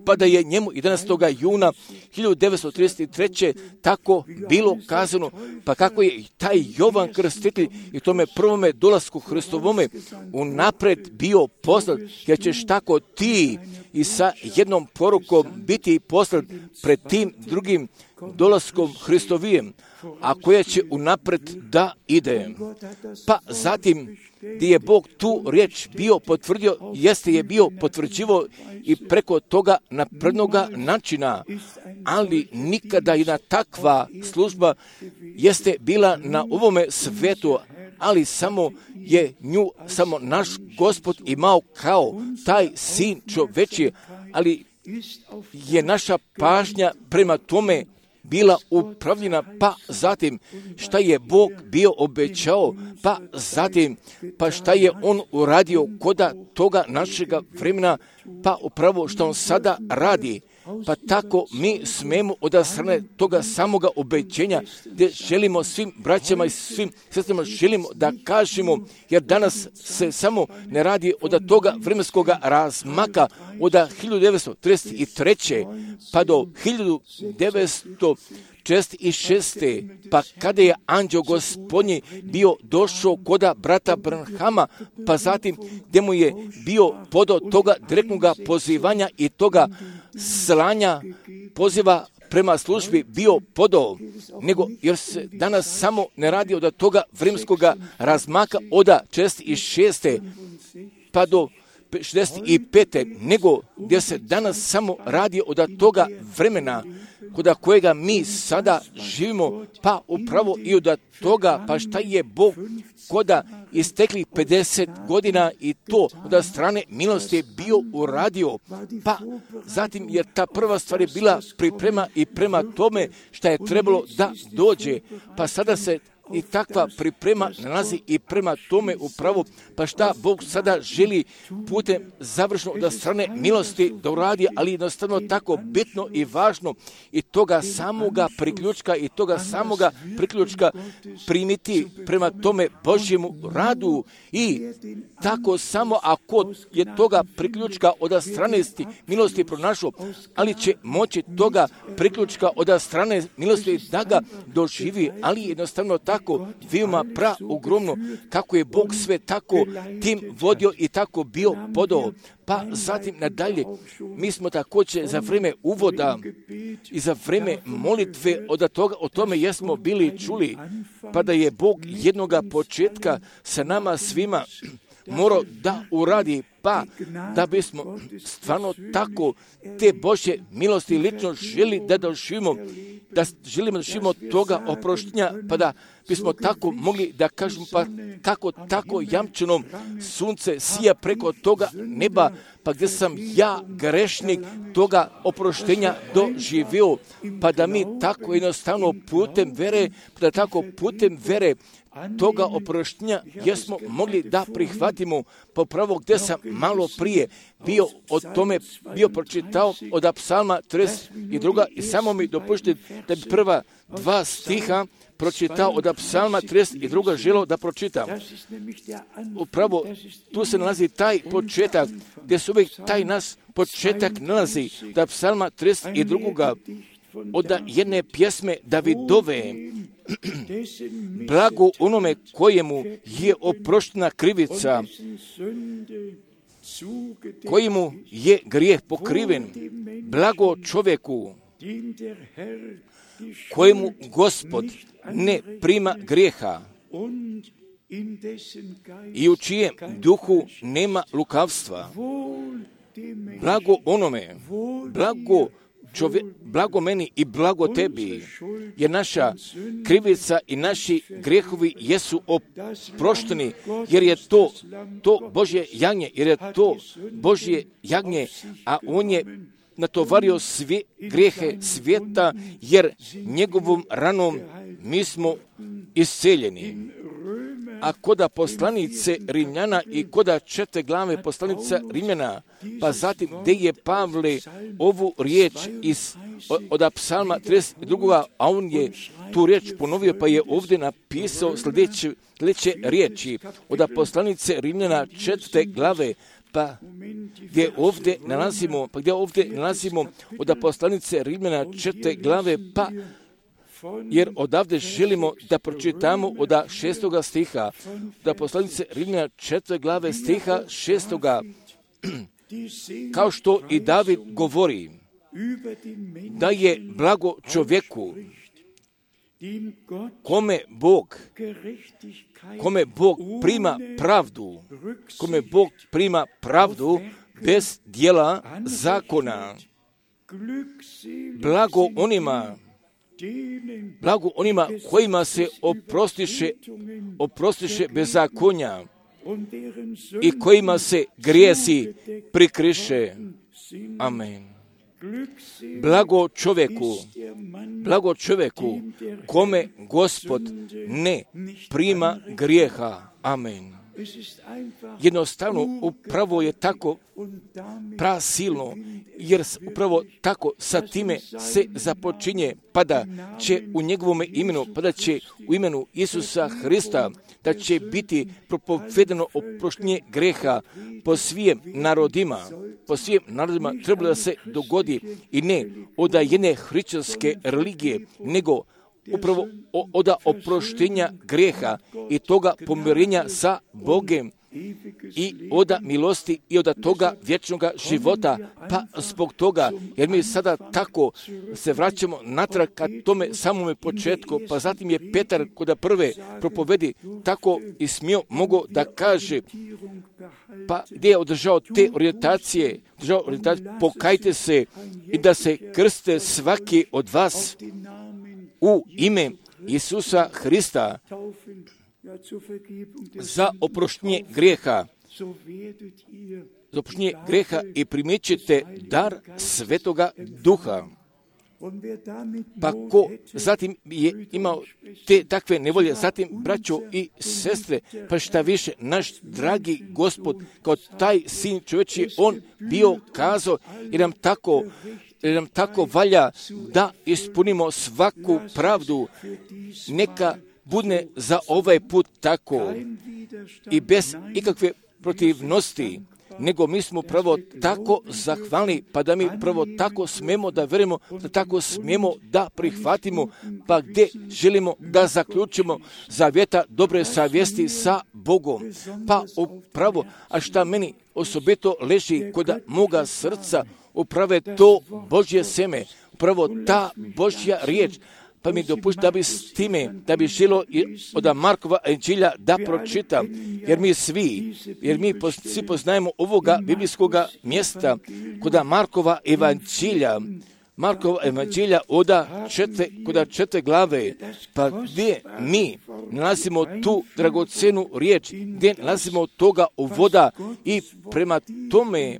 pa da je njemu jedanaestog juna hiljadu devetsto trideset treće tako bilo kazano, pa kako je taj Jovan Krstitelj i tome prvome dolasku Hristovome unapred bio poslat, jer ćeš tako ti i sa jednom porukom biti poslat pred tim drugim dolaskom Hristovijem, a koja će unapred da ide. Pa zatim, gdje je Bog tu riječ bio potvrdio, jeste je bio potvrđivo i preko toga naprednoga načina, ali nikada jedna takva služba jeste bila na ovome svetu, ali samo je nju samo naš Gospod imao kao taj sin čoveči, ali je naša pažnja prema tome bila upravljena, pa zatim šta je Bog bio obećao, pa zatim pa šta je on uradio koda toga našega vremena, pa upravo što on sada radi. Pa tako mi smemo od strane toga samoga obećenja, gdje želimo svim braćama i svim sestrama želimo da kažemo, jer danas se samo ne radi od toga vremenskog razmaka od hiljadu devetsto trideset treće pa do hiljadu devetsto četrdeset šeste pa kada je anđeo Gospodnji bio došao koda brata Branhama, pa zatim gdje mu je bio podao toga direktnog pozivanja i toga slanja poziva prema službi bio podao, nego jer se danas samo ne radi od toga vremenskog razmaka od četrdeset šeste pa do šezdeset pete nego gdje se danas samo radi od toga vremena koda kojega mi sada živimo, pa upravo i od toga, pa šta je Bog koda istekli pedeset godina i to od strane milosti je bio uradio, pa zatim jer ta prva stvar je bila priprema i prema tome šta je trebalo da dođe, pa sada se i takva priprema nalazi i prema tome upravo, pa šta Bog sada želi putem završno od strane milosti da uradi, ali jednostavno tako bitno i važno i toga samoga priključka i toga samoga priključka primiti prema tome Božjemu radu i tako samo ako je toga priključka od strane milosti pronašao, ali će moći toga priključka od strane milosti da ga doživi, ali jednostavno tako tako veoma pra ogromno, kako je Bog sve tako tim vodio i tako bio podao. Pa zatim nadalje, mi smo također za vrijeme uvoda i za vrijeme molitve od toga, o tome jesmo bili čuli, pa da je Bog jednoga početka sa nama svima morao da uradi, pa da bismo stvarno tako te Božje milosti lično želi da doživimo, da želimo da doživimo toga oproštenja, pa da bismo tako mogli da kažemo, pa kako tako jamčeno sunce sija preko toga neba, pa gdje sam ja grešnik toga oproštenja doživio, pa da mi tako jednostavno putem vere, pa da tako putem vere toga oproštenja jesmo mogli da prihvatimo, popravo gdje sam malo prije bio o tome, bio pročitao od psalma trideset dva i samo mi dopuštite da bi prva dva stiha pročitao od psalma trideset dva želio da pročitam. Upravo tu se nalazi taj početak, gdje se uvijek taj nas početak nalazi, da psalma trideset dva od jedne pjesme Davidove, blago onome kojemu je oproštena krivica, kojemu je grijeh pokriven, blago čovjeku kojemu Gospod ne prima grijeha i u čijem duhu nema lukavstva. Blago onome, blago Čovje, blago meni i blago tebi, jer naša krivica i naši grijehovi jesu oprošteni, jer je to, to Božje jagnje, jer je to Božje jagnje, a on je natovario sve grijehe svijeta, jer njegovom ranom mi smo isceljeni. A koda poslanice Rimljana i koda četiri glave poslanica Rimljana, pa zatim gdje je Pavle ovu riječ iz, od psalma trideset dva, a on je tu riječ ponovio, pa je ovdje napisao sljedeće, sljedeće riječi od poslanice Rimljana četvrte glave, pa gdje ovdje nalazimo, pa gdje ovdje nalazimo od poslanice Rimljana četvrte glave, pa jer odavde želimo da pročitamo od šestoga stiha, da poslanice Rimljana četvrte glave stiha šestoga, kao što i David govori, da je blago čovjeku, kome Bog, kome Bog prima pravdu, kome Bog prima pravdu bez dijela zakona. Blago onima, blago onima kojima se oprostiše, oprostiše bezakonja i kojima se grijesi prikriše. Amen. Blago čovjeku, blago čovjeku kome Gospod ne prima grijeha. Amen. Jednostavno, upravo je tako prasilno, jer upravo tako sa time se započinje, pa da će u njegovom imenu, pa da će u imenu Isusa Hrista, da će biti propovedano oproštenje greha po svim narodima, po svim narodima trebalo da se dogodi i ne od jedne hrišćanske religije, nego upravo od oproštenja grijeha i toga pomirenja sa Bogem i od milosti i od toga vječnog života, pa zbog toga, jer mi sada tako se vraćamo natrag ka tome samome početku, pa zatim je Petar kod prve propovedi tako i smio mogo da kaže, pa gdje je održao te orijentacije, održao orijentacije, pokajte se i da se krste svaki od vas u ime Isusa Hrista za oproštenje grijeha, za oproštenje grijeha i primjećete dar Svetoga Duha. Pa ko zatim je imao te takve nevolje, zatim braćo i sestre, pa šta više, naš dragi Gospod, kao taj sin čovječji, on bio kazao i nam tako jer nam tako valja da ispunimo svaku pravdu, neka bude za ovaj put tako i bez ikakve protivnosti, nego mi smo prvo tako zahvalni, pa da mi prvo tako smijemo da verujemo, da tako smijemo da prihvatimo, pa gdje želimo da zaključimo zavjeta dobre savjesti sa Bogom. Pa upravo, a šta meni osobito leži kod moga srca, upravo to Božje seme, upravo ta Božja riječ. Pa mi dopušta da bi s time, da bi želo od Markova evanđelja da pročitam, jer mi svi, jer mi svi poznajemo ovoga biblijskoga mjesta kod Markova evanđelja, Markova evanđelja od četve, kod četve glave, pa gdje mi nalazimo tu dragocenu riječ, gdje nalazimo toga uvoda i prema tome,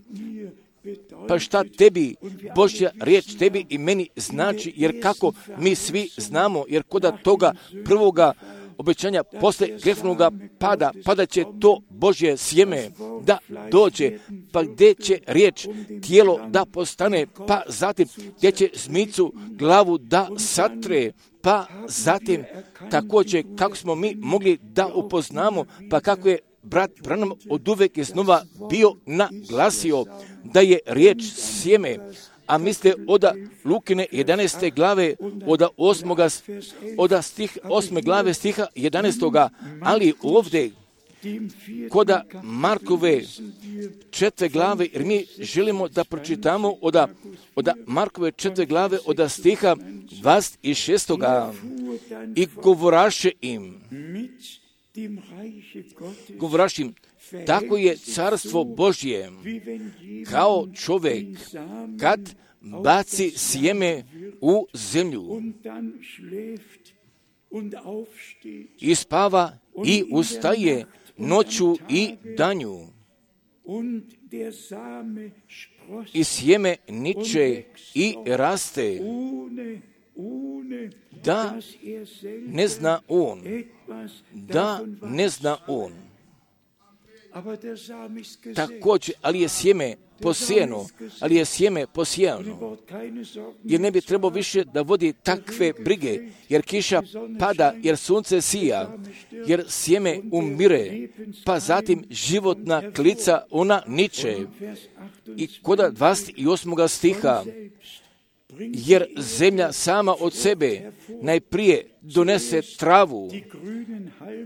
pa šta tebi Božja riječ tebi i meni znači, jer kako mi svi znamo, jer kod toga prvoga obećanja posle grefnoga pada, pada će to Božje sjeme da dođe, pa gdje će riječ tijelo da postane, pa zatim gdje će zmicu glavu da satre, pa zatim također kako smo mi mogli da upoznamo, pa kako je brat Branham od uvek iznova bio naglasio da je riječ sjeme, a mislite od Lukine jedanaeste glave, od osmoga, od stih, osme glave stiha jedanaestoga, ali ovdje kod Markove četve glave, jer mi želimo da pročitamo od, od Markove četve glave od stiha dvadeset šestoga i govoraše im, govoraš im, tako je carstvo Božje, kao čovjek kad baci sjeme u zemlju i spava i ustaje noću i danju i sjeme niče i raste, da ne zna on, da ne zna on. Također, ali je sjeme posijeno, ali je sjeme posijano, jer ne bi trebao više da vodi takve brige, jer kiša pada, jer sunce sija, jer sjeme umire, pa zatim životna klica ona niče. I kod dvadeset osmog stiha, jer zemlja sama od sebe najprije donese travu,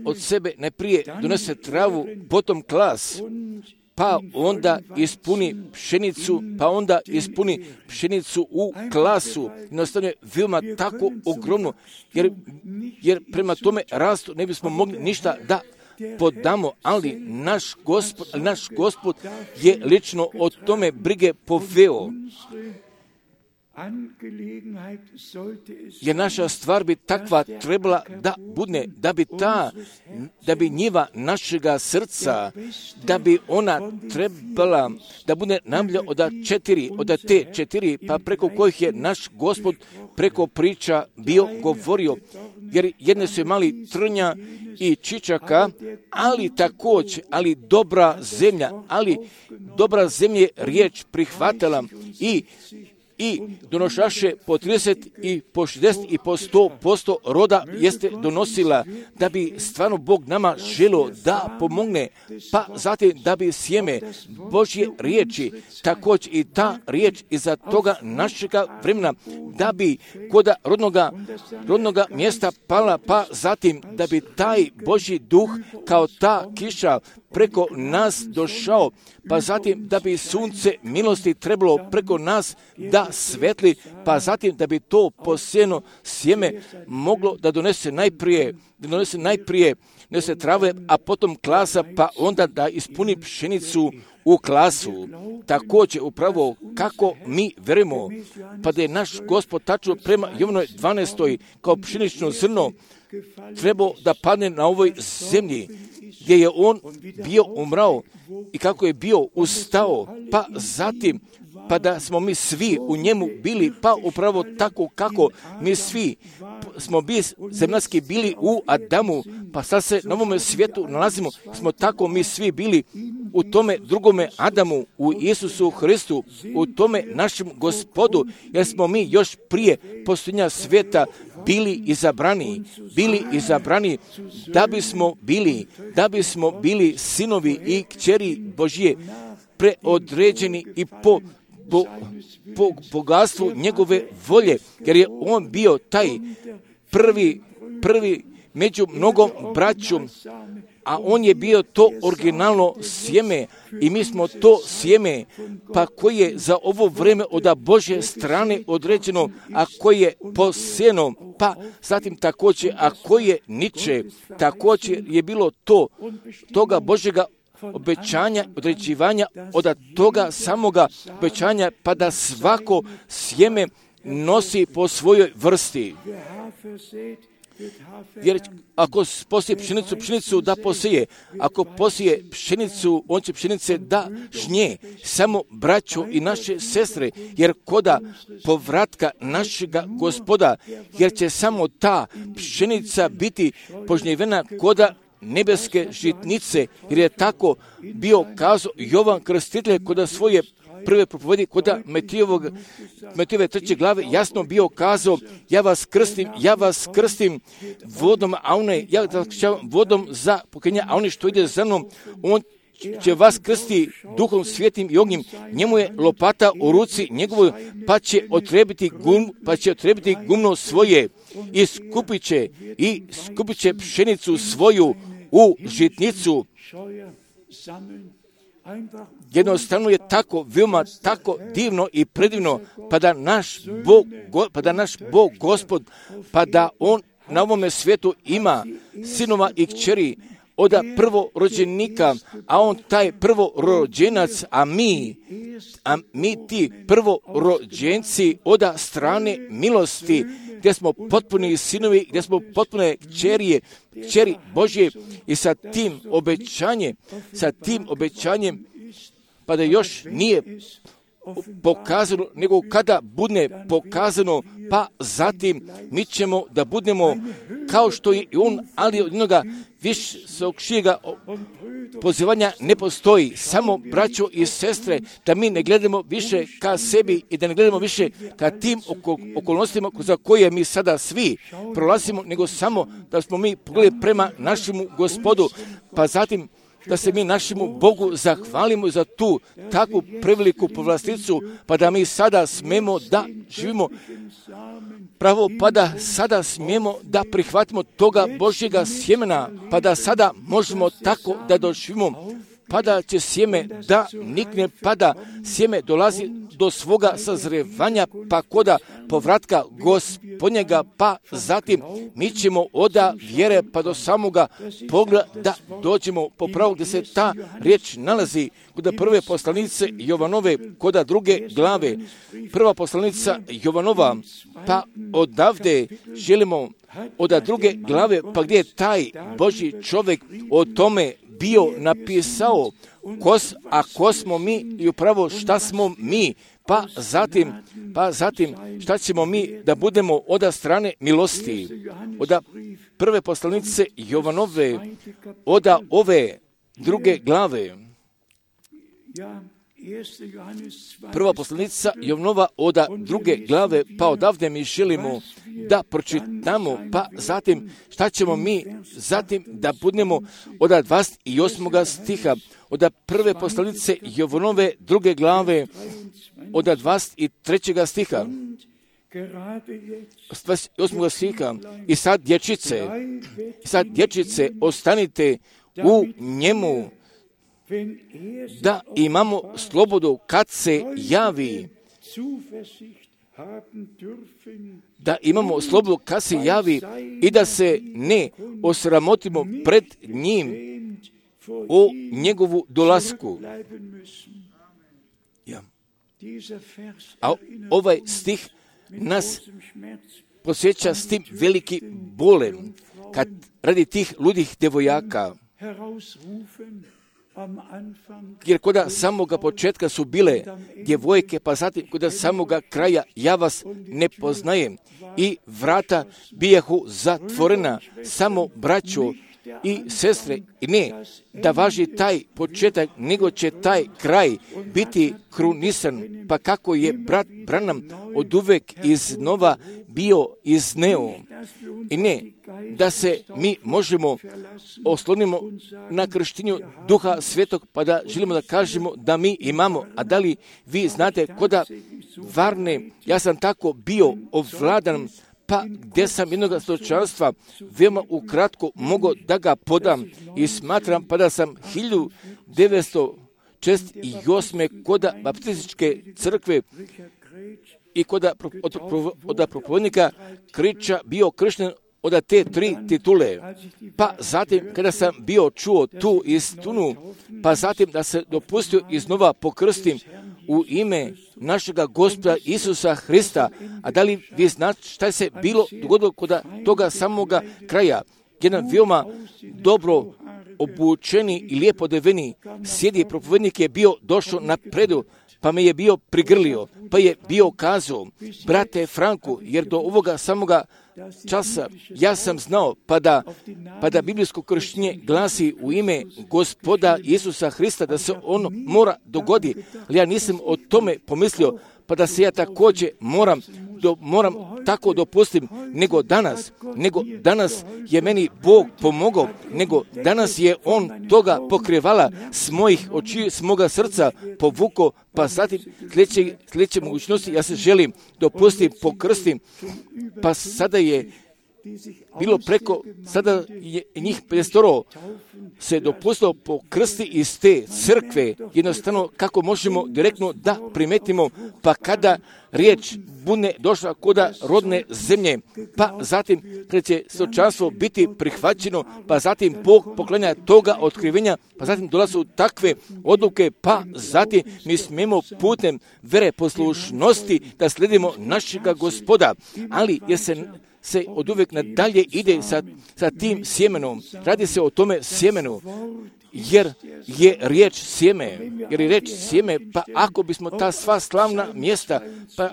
od sebe najprije donese travu, potom klas, pa onda ispuni pšenicu, pa onda ispuni pšenicu u klasu. Jednostavno je veoma tako ogromno, jer, jer prema tome rastu ne bismo mogli ništa da podamo, ali naš Gospod, naš Gospod je lično o tome brige poveo. Jer naša stvar bi takva trebala da bude, da bi ta, da bi njiva našega srca, da bi ona trebala da bude namlja od četiri, od te četiri, pa preko kojih je naš Gospod preko priča bio govorio. Jer jedne su imali trnja i čičaka, ali također, ali dobra zemlja, ali dobra zemlja je riječ prihvatila i i donošaše po trideset i po šezdeset i po sto posto roda jeste donosila, da bi stvarno Bog nama želio da pomogne, pa zatim da bi sjeme Božje riječi, također i ta riječ iza toga našega vremena, da bi kod rodnoga, rodnoga mjesta pala, pa zatim da bi taj Božji duh kao ta kiša preko nas došao, pa zatim da bi sunce milosti trebalo preko nas da svetli, pa zatim da bi to posijeno sjeme moglo da donese najprije, da donese najprije donese trave, a potom klasa, pa onda da ispuni pšenicu u klasu. Također upravo kako mi verujemo, pa da je naš Gospod tačno prema Jovanoj dvanaestoj kao pšenično zrno trebao da padne na ovoj zemlji, gdje je on bio umrao i kako je bio ustao, pa zatim pa da smo mi svi u njemu bili, pa upravo tako kako mi svi smo bili zemaljski bili u Adamu, pa sad se na ovome svijetu nalazimo, smo tako mi svi bili u tome drugome Adamu, u Isusu Hristu, u tome našem Gospodu, jer smo mi još prije postojanja svijeta bili izabrani, bili izabrani da bismo bili, da bismo bili sinovi i kćeri Božije, preodređeni i po, po, po bogatstvu njegove volje, jer je on bio taj prvi, prvi među mnogom braćom, a on je bio to originalno sjeme i mi smo to sjeme, pa koje je za ovo vrijeme od Božje strane određeno, a koje je posijeno, pa zatim također, a koje niče, također je bilo to, toga Božjega obećanja, određivanja od toga samoga obećanja, pa da svako sjeme nosi po svojoj vrsti. Jer ako posije pšenicu, pšenicu da posije. Ako posije pšenicu, on će pšenice da žnje. Samo braćo i naše sestre, jer koda povratka našega Gospoda, jer će samo ta pšenica biti požnjevena koda nebeske žitnice, jer je tako bio kazao Jovan Krstitelj koda svoje prve propovedi koda Metijevog, Metijeve treće glave jasno bio kazao, ja vas krstim, ja vas krstim vodom, a one, ja vas vodom za pokajanje, a oni što ide za mnom, on će vas krsti duhom svijetim i ognjem, njemu je lopata u ruci njegovoj, pa će otrebiti gum, pa će otrebiti gumno svoje i skupit će, i skupit će pšenicu svoju u žitnicu. Jednostavno je tako, veoma tako divno i predivno, pa da naš Bog, pa da naš Bog Gospod, pa da On na ovome svijetu ima sinova i kćeri od prvorođenika, a On taj prvorođenac, a mi, a mi ti prvorođenci od strane milosti, gdje smo potpuni sinovi, gdje smo potpune kćerije, kćeri Božje i sa tim obećanjem, sa tim obećanjem, pa da još nije pokazano, nego kada bude pokazano, pa zatim mi ćemo da budemo kao što je on, ali od jednoga višega pozivanja ne postoji. Samo braćo i sestre, da mi ne gledamo više ka sebi i da ne gledamo više ka tim okolnostima za koje mi sada svi prolazimo, nego samo da smo mi pogledali prema našemu Gospodu, pa zatim da se mi našemu Bogu zahvalimo za tu takvu preveliku povlasticu, pa da mi sada smemo da živimo pravo, pa da sada smijemo da prihvatimo toga Božjega sjemena, pa da sada možemo tako da doživimo, pa da će sjeme da nikne, pa da sjeme dolazi do svoga sazrevanja, pa koda povratka Gospodnjega, pa zatim mi ćemo oda vjere pa do samoga pogleda da dođemo po pravu gdje se ta riječ nalazi, kod prve poslanice Jovanove, kod druge glave. Prva poslanica Jovanova, pa odavde želimo od druge glave, pa gdje je taj Božji čovjek o tome bio napisao, kos, a ko smo mi i upravo šta smo mi, pa zatim, pa zatim šta ćemo mi da budemo od strane milosti. Od prve poslanice Jovanove, od ove druge glave. Prva poslanica Jovanova od druge glave, pa odavde mi želimo da pročitamo, pa zatim šta ćemo mi zatim da budemo od dvadeset osmog stiha, od prve poslanice Jovanove druge glave, od dvadeset trećeg stiha, dvadeset osmog stiha, i sad dječice, i sad dječice, ostanite u njemu, da imamo slobodu kad se javi, da imamo slobodu kad se javi i da se ne osramotimo pred njim o njegovu dolasku. Ja. A ovaj stih nas posjeća s tim veliki bolem, kad radi tih ludih devojaka, jer kod samoga početka su bile djevojke, pa zatim kod samoga kraja ja vas ne poznajem i vrata bijahu zatvorena, samo braćo, i sestre, i ne da važi taj početak, nego će taj kraj biti krunisan, pa kako je brat Branham oduvek iznova bio izneo. I ne da se mi možemo oslonimo na krštenju Duha Svetog, pa da želimo da kažemo da mi imamo. A da li vi znate koda Varne, ja sam tako bio ovladan, pa gdje sam jednog stočanstva veoma ukratko mogao da ga podam i smatram pa da sam hiljadu devetsto šezdeset osme koda baptističke crkve i koda od, od propovednika Kriča bio kršten od te tri titule. Pa zatim kada sam bio čuo tu istinu, pa zatim da se dopustio iznova pokrstim u ime našega Gospoda Isusa Hrista. A da li vi znate šta se bilo dogodilo kod toga samoga kraja? Jedan veoma dobro obučeni i lijepo odeveni sjedi propovednik je bio došao na predu, pa me je bio prigrlio, pa je bio kazao, brate Franku, jer do ovoga samoga časa ja sam znao, pa da, pa da biblijsko krštenje glasi u ime Gospoda Isusa Hrista, da se ono mora dogodi, ali ja nisam o tome pomislio, pa da se ja također moram, do, moram tako dopustim, nego danas, nego danas je meni Bog pomogao, nego danas je On toga pokrivala s mojih očiju, s moga srca povukao, pa zatim sljedeće, sljedeće mogućnosti ja se želim dopustim, pokrstim, pa sada je bilo preko, sada je njih petsto se dopustilo pokrsti iz te crkve, jednostavno kako možemo direktno da primetimo, pa kada riječ bude došla koda rodne zemlje, pa zatim kada će stočanstvo biti prihvaćeno, pa zatim Bog poklanja toga otkrivenja, pa zatim dolaze takve odluke, pa zatim mi smijemo putem vere poslušnosti da slijedimo našega Gospoda, ali jer se se od uvijek nadalje ide sa, sa tim sjemenom. Radi se o tome sjemenu, jer je riječ sjeme, jer je riječ sjeme, pa ako bismo ta sva slavna mjesta, pa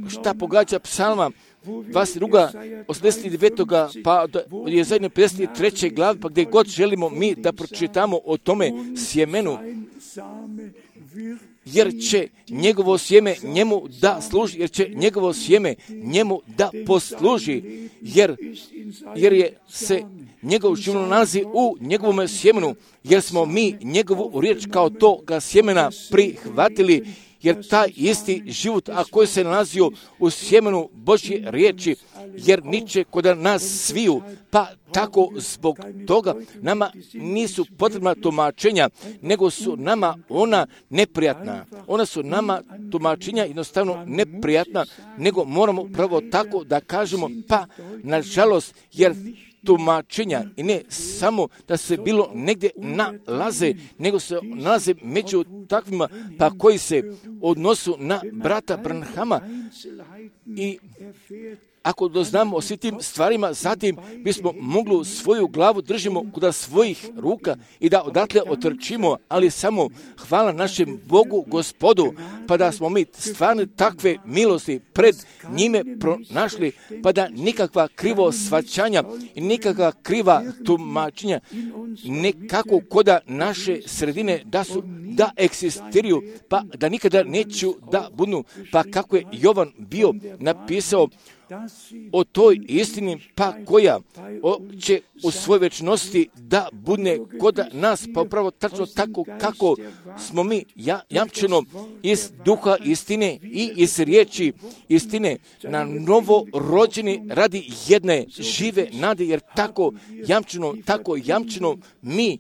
šta pogađa psalma, dvadeset druga, osamdeset devet pa je zajedno pedeset treće glave, pa gdje god želimo mi da pročitamo o tome sjemenu, jer će njegovo sjeme njemu da služi, jer će njegovo sjeme njemu da posluži, jer, jer je se njegov život nalazi u njegovom sjemenu, jer smo mi njegovu riječ kao toga sjemena prihvatili, jer taj isti život, a koji se nalazio u sjemenu Božje riječi, jer niče kod nas sviju, pa tako zbog toga nama nisu potrebna tumačenja, nego su nama ona neprijatna. Ona su nama tumačenja jednostavno neprijatna, nego moramo pravo tako da kažemo, pa nažalost, jer tumačenja i ne samo da se bilo negdje nalaze, nego se nalaze među takvima pa koji se odnosu na brata Branhama i ako doznamo o svim tim stvarima, zatim bismo mogli svoju glavu držimo kod svojih ruka i da odatle otrčimo, ali samo hvala našem Bogu, Gospodu, pa da smo mi stvarno takve milosti pred njime pronašli, pa da nikakva krivo svaćanja i nikakva kriva tumačenja nekako koda naše sredine da su, da eksistiraju, pa da nikada neću da budu, pa kako je Jovan bio napisao o toj istini, pa koja o, će u svojoj večnosti da bude kod nas, pa upravo tačno tako kako smo mi ja, jamčeno iz duha istine i iz riječi istine na novo rođeni radi jedne žive nade, jer tako jamčeno, tako jamčeno mi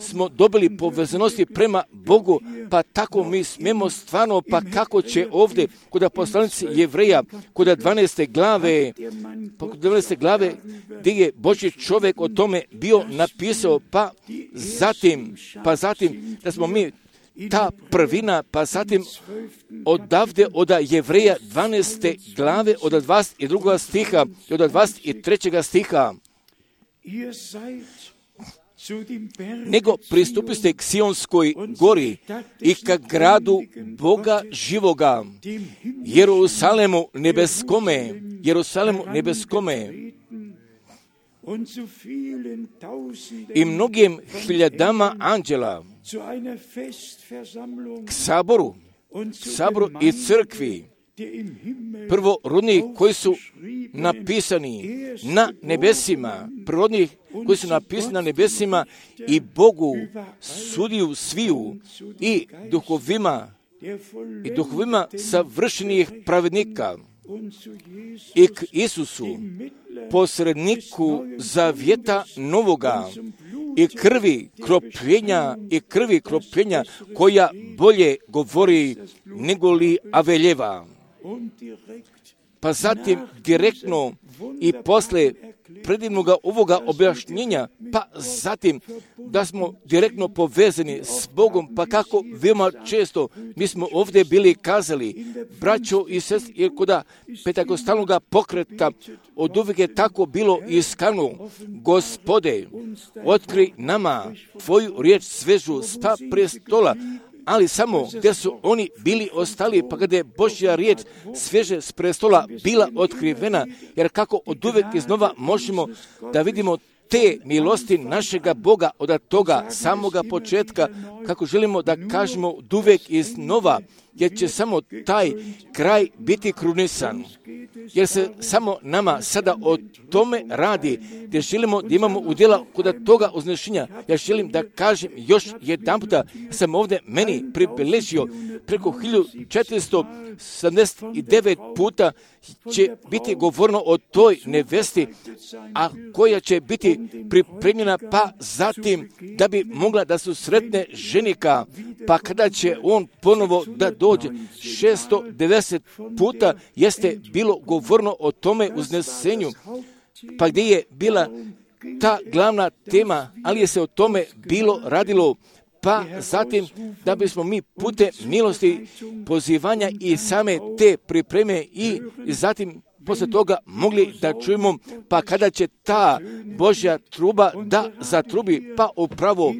smo dobili povezanosti prema Bogu, pa tako mi smijemo stvarno, pa kako će ovdje kod poslanici Jevreja, kod dvanaeste glave, pa kod dvanaeste glave gdje je Božji čovjek o tome bio napisao, pa zatim, pa zatim da smo mi ta prvina, pa zatim odavde od Jevreja dvanaeste glave od dvadeset drugog stiha i od dvadeset trećeg stiha. Nego pristupiste k Sionskoj gori i ka gradu Boga živoga, Jerusalemu nebeskome, Jerusalemu nebeskome. i mnogim hiljadama anđela k saboru, saboru i crkvi, prvorodnih koji su napisani na nebesima, prvorodnih koji su napisani na nebesima i Bogu, sudiju sviju i duhovima, i duhovima savršenih pravednika, i k Isusu, posredniku zavjeta novoga, i krvi kropljenja, i krvi kropljenja koja bolje govori nego li Aveljeva. Pa zatim direktno i posle predivnog ovoga objašnjenja, pa zatim da smo direktno povezani s Bogom, pa kako veoma često mi smo ovdje bili kazali, braćo i sestri, jer koda pentakostalnog pokreta od uvijek je tako bilo iskano, Gospode, otkri nama Tvoju riječ svežu s pa prestola, ali samo gdje su oni bili ostali, pa kada je Božja riječ svježe s prestola bila otkrivena, jer kako od uvijek iznova možemo da vidimo te milosti našega Boga od toga samoga početka, kako želimo da kažemo od uvijek iznova, jer će samo taj kraj biti krunisan. Jer se samo nama sada o tome radi, gdje želimo da imamo udjela kod toga uznešenja. Ja želim da kažem još jedan puta, sam ovdje meni pribeležio preko hiljadu četiristo sedamdeset devet puta će biti govoreno o toj nevesti, a koja će biti pripremljena pa zatim da bi mogla da su sretne ženika, pa kada će on ponovo da dođe. šesto devedeset puta jeste bilo govoreno o tome uznesenju, pa gdje je bila ta glavna tema, ali je se o tome bilo radilo, pa zatim da bismo mi putem milosti pozivanja i same te pripreme i zatim poslije toga mogli da čujemo, pa kada će ta Božja truba da zatrubi, pa upravo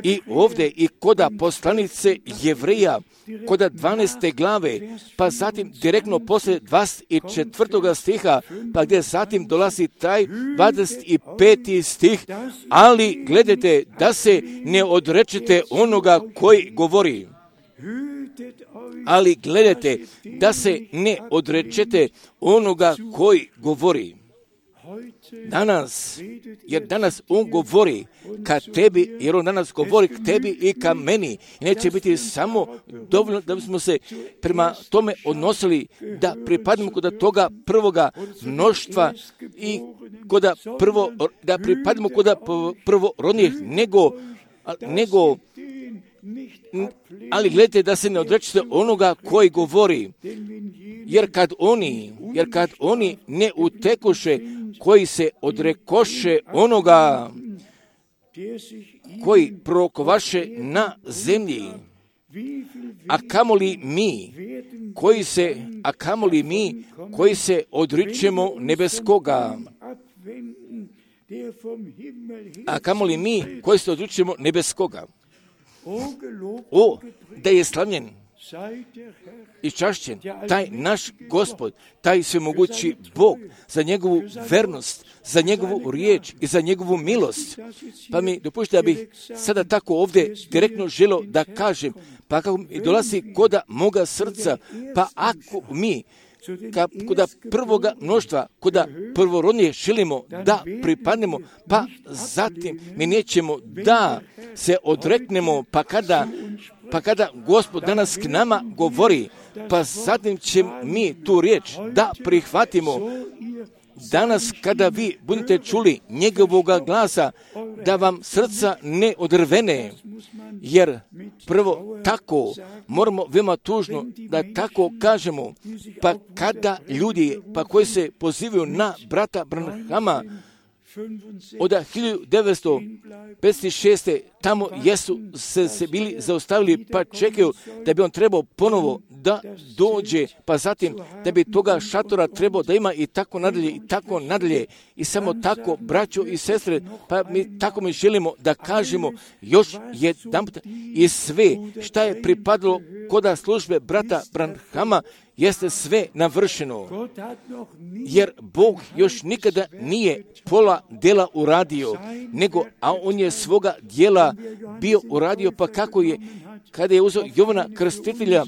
i ovdje i koda poslanice Jevreja, koda dvanaeste glave, pa zatim direktno poslije dvadeset četvrtog stiha, pa gdje zatim dolazi taj dvadeset peti stih, ali gledajte da se ne odrečete onoga koji govori. Ali gledajte da se ne odrečete onoga koji govori. Danas, jer danas on govori ka tebi, jer on danas govori k tebi i ka meni. I neće biti samo dovoljno da bismo se prema tome odnosili, da pripadnemo kod toga prvoga mnoštva i kod prvo, da pripadnemo kod prvorodnih, nego, nego ali gledajte da se ne odrećete onoga koji govori, jer kad oni, jer kad oni ne utekoše, koji se odrekoše onoga koji prorokovaše na zemlji, a kamoli mi, koji se, a kamoli mi, koji se odričemo nebeskoga, a kamoli mi, koji se odričemo nebeskoga. O, da je slavljen i čašćen taj naš Gospod, taj svemogući Bog, za njegovu vernost, za njegovu riječ i za njegovu milost. Pa mi dopustite da bih sada tako ovdje direktno želio da kažem, pa kako mi dolazi koda moga srca, pa ako mi Ka, kuda prvoga mnoštva, kuda prvorodnije želimo da pripadnemo, pa zatim mi nećemo da se odreknemo, pa kada, pa kada Gospod danas k nama govori, pa zatim ćemo mi tu riječ da prihvatimo. Danas kada vi budete čuli njegovoga glasa, da vam srca ne odrvene, jer prvo tako moramo veoma tužno da tako kažemo, pa kada ljudi pa koji se pozivaju na brata Branhama od hiljadu devetsto pedeset šeste tamo jesu se, se bili zaustavili pa čekaju da bi on trebao ponovo da dođe, pa zatim da bi toga šatora trebao da ima i tako nadalje i tako nadalje i samo tako, braćo i sestre, pa mi tako mi želimo da kažemo još jedan put i sve šta je pripadalo koda službe brata Branhama, jeste sve navršeno, jer Bog još nikada nije pola djela uradio, nego, a on je svoga djela bio uradio, pa kako je, kada je uzeo Jovana Krstitelja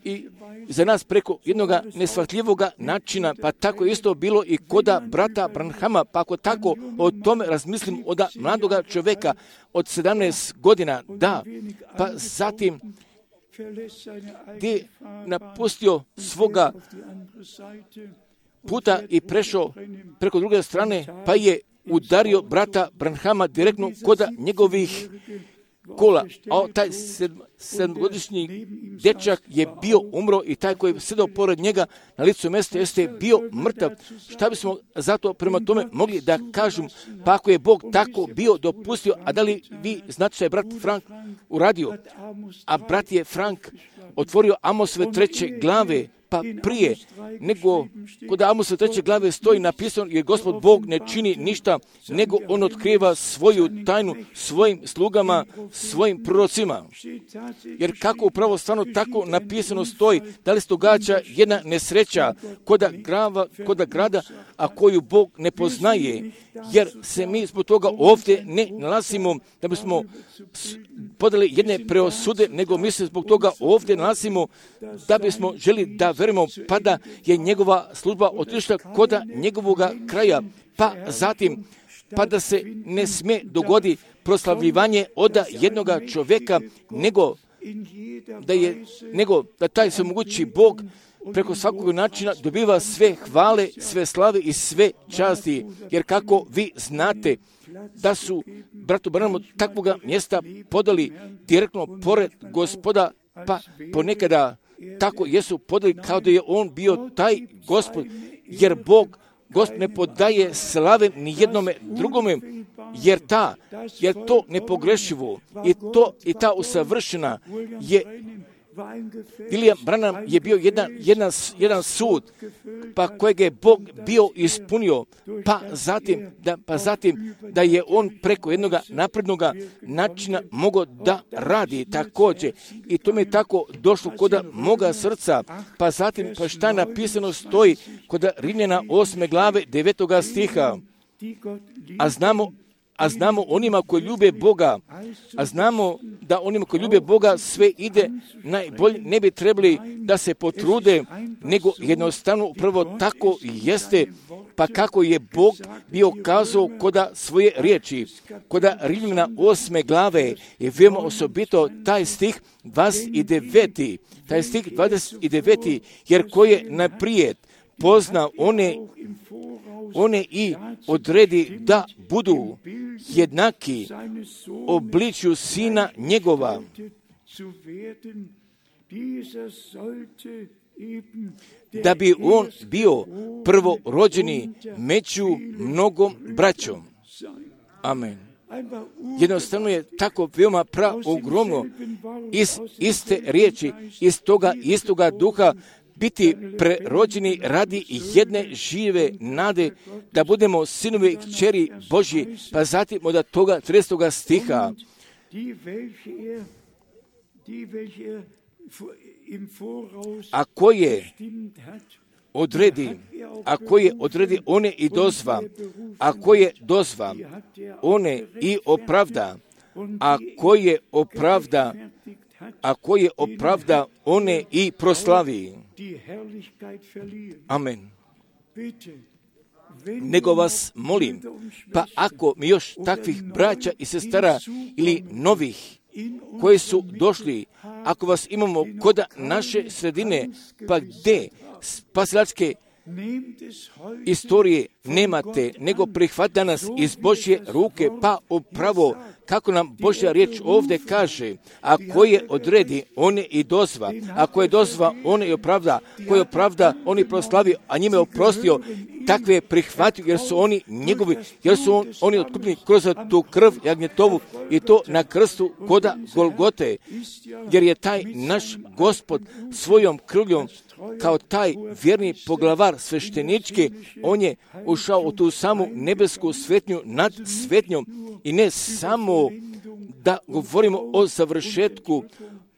i za nas preko jednog neshvatljivoga načina, pa tako isto bilo i koda brata Branhama, pa ako tako o tome razmislim od mladoga čovjeka od sedamnaest godina, da, pa zatim gdje napustio svoga puta i prešao preko druge strane, pa je udario brata Branhama direktno koda njegovih kola, a taj sedmogodišnji dječak je bio umro i taj koji je sedao pored njega na licu mjesta jeste bio mrtav. Šta bismo zato prema tome mogli da kažem, pa ako je Bog tako bio dopustio, a da li vi znate što je brat Frank uradio? A brat je Frank otvorio Amosove treće glave, pa prije nego kod Amosove treće glave stoji napisano, jer Gospod Bog ne čini ništa, nego on otkriva svoju tajnu svojim slugama, svojim prorocima. Jer kako upravo stvarno tako napisano stoji, da li se događa jedna nesreća koda, grava, koda grada, a koju Bog ne poznaje, jer se mi zbog toga ovdje ne nalazimo da bismo podali jedne preosude, nego mi se zbog toga ovdje nalazimo da bismo želi da verujemo, pa da je njegova služba otišla koda njegovoga kraja, pa zatim pa da se ne smije dogodi proslavljivanje od jednoga čovjeka, nego da je, nego da taj svemogući Bog preko svakog načina dobiva sve hvale, sve slave i sve časti, jer kako vi znate da su bratu Branhamu takvoga mjesta podali direktno pored Gospoda, pa ponekada tako jesu podali kao da je on bio taj Gospod, jer Bog Gospod ne podaje slave ni jednome drugome, jer ta, jer to nepogrešivo i to i ta usavršena je. William Branham je bio jedan, jedan, jedan sud, pa kojeg je Bog bio ispunio, pa zatim, da, pa zatim da je on preko jednog naprednog načina mogao da radi također. I to mi je tako došlo kod moga srca, pa zatim, pa šta napisano stoji kod Rimljana osme glave devetoga stiha, a znamo A znamo onima koji ljube Boga, a znamo da onima koji ljube Boga sve ide najbolje, ne bi trebali da se potrude, nego jednostavno upravo tako jeste, pa kako je Bog bio kazao koda svoje riječi. Koda Rimljana osme glave je veoma osobito taj stih dvadeset devet. Taj stih dvadeset devet, jer ko je naprijed pozna one one i odredi da budu jednaki obličju sina njegova, da bi on bio prvorođeni među mnogom braćom. Amen. Jednostavno je tako veoma pra ogromno iz iste riječi, iz toga istoga duha, biti prerođeni radi jedne žive nade, da budemo sinovi i kćeri Božji, pa zatim od toga trinaestog stiha. Ako je odredi, ako je odredi, one i dozva, ako je dozva, one i opravda, ako je opravda, ako je opravda, one i proslavi. Amen. Nego vas molim, pa ako mi još takvih braća i sestara ili novih koji su došli, ako vas imamo kod naše sredine, pa gdje spasilačke istorije nemate, nego prihvata nas iz Božje ruke, pa upravo kako nam Božja riječ ovdje kaže, ako je odredi, on je i dozva, ako je dozva, on je opravda, ko je opravda, on je proslavi, a njime je oprostio, takve je prihvatio, jer su oni njegovi, jer su on, oni otkupljeni kroz tu krv jagnjetovu i to na krstu koda Golgote, jer je taj naš Gospod svojom krvljom kao taj vjerni poglavar sveštenički, on je ušao u tu samu nebesku svetnju nad svetnjom i ne samo da govorimo o završetku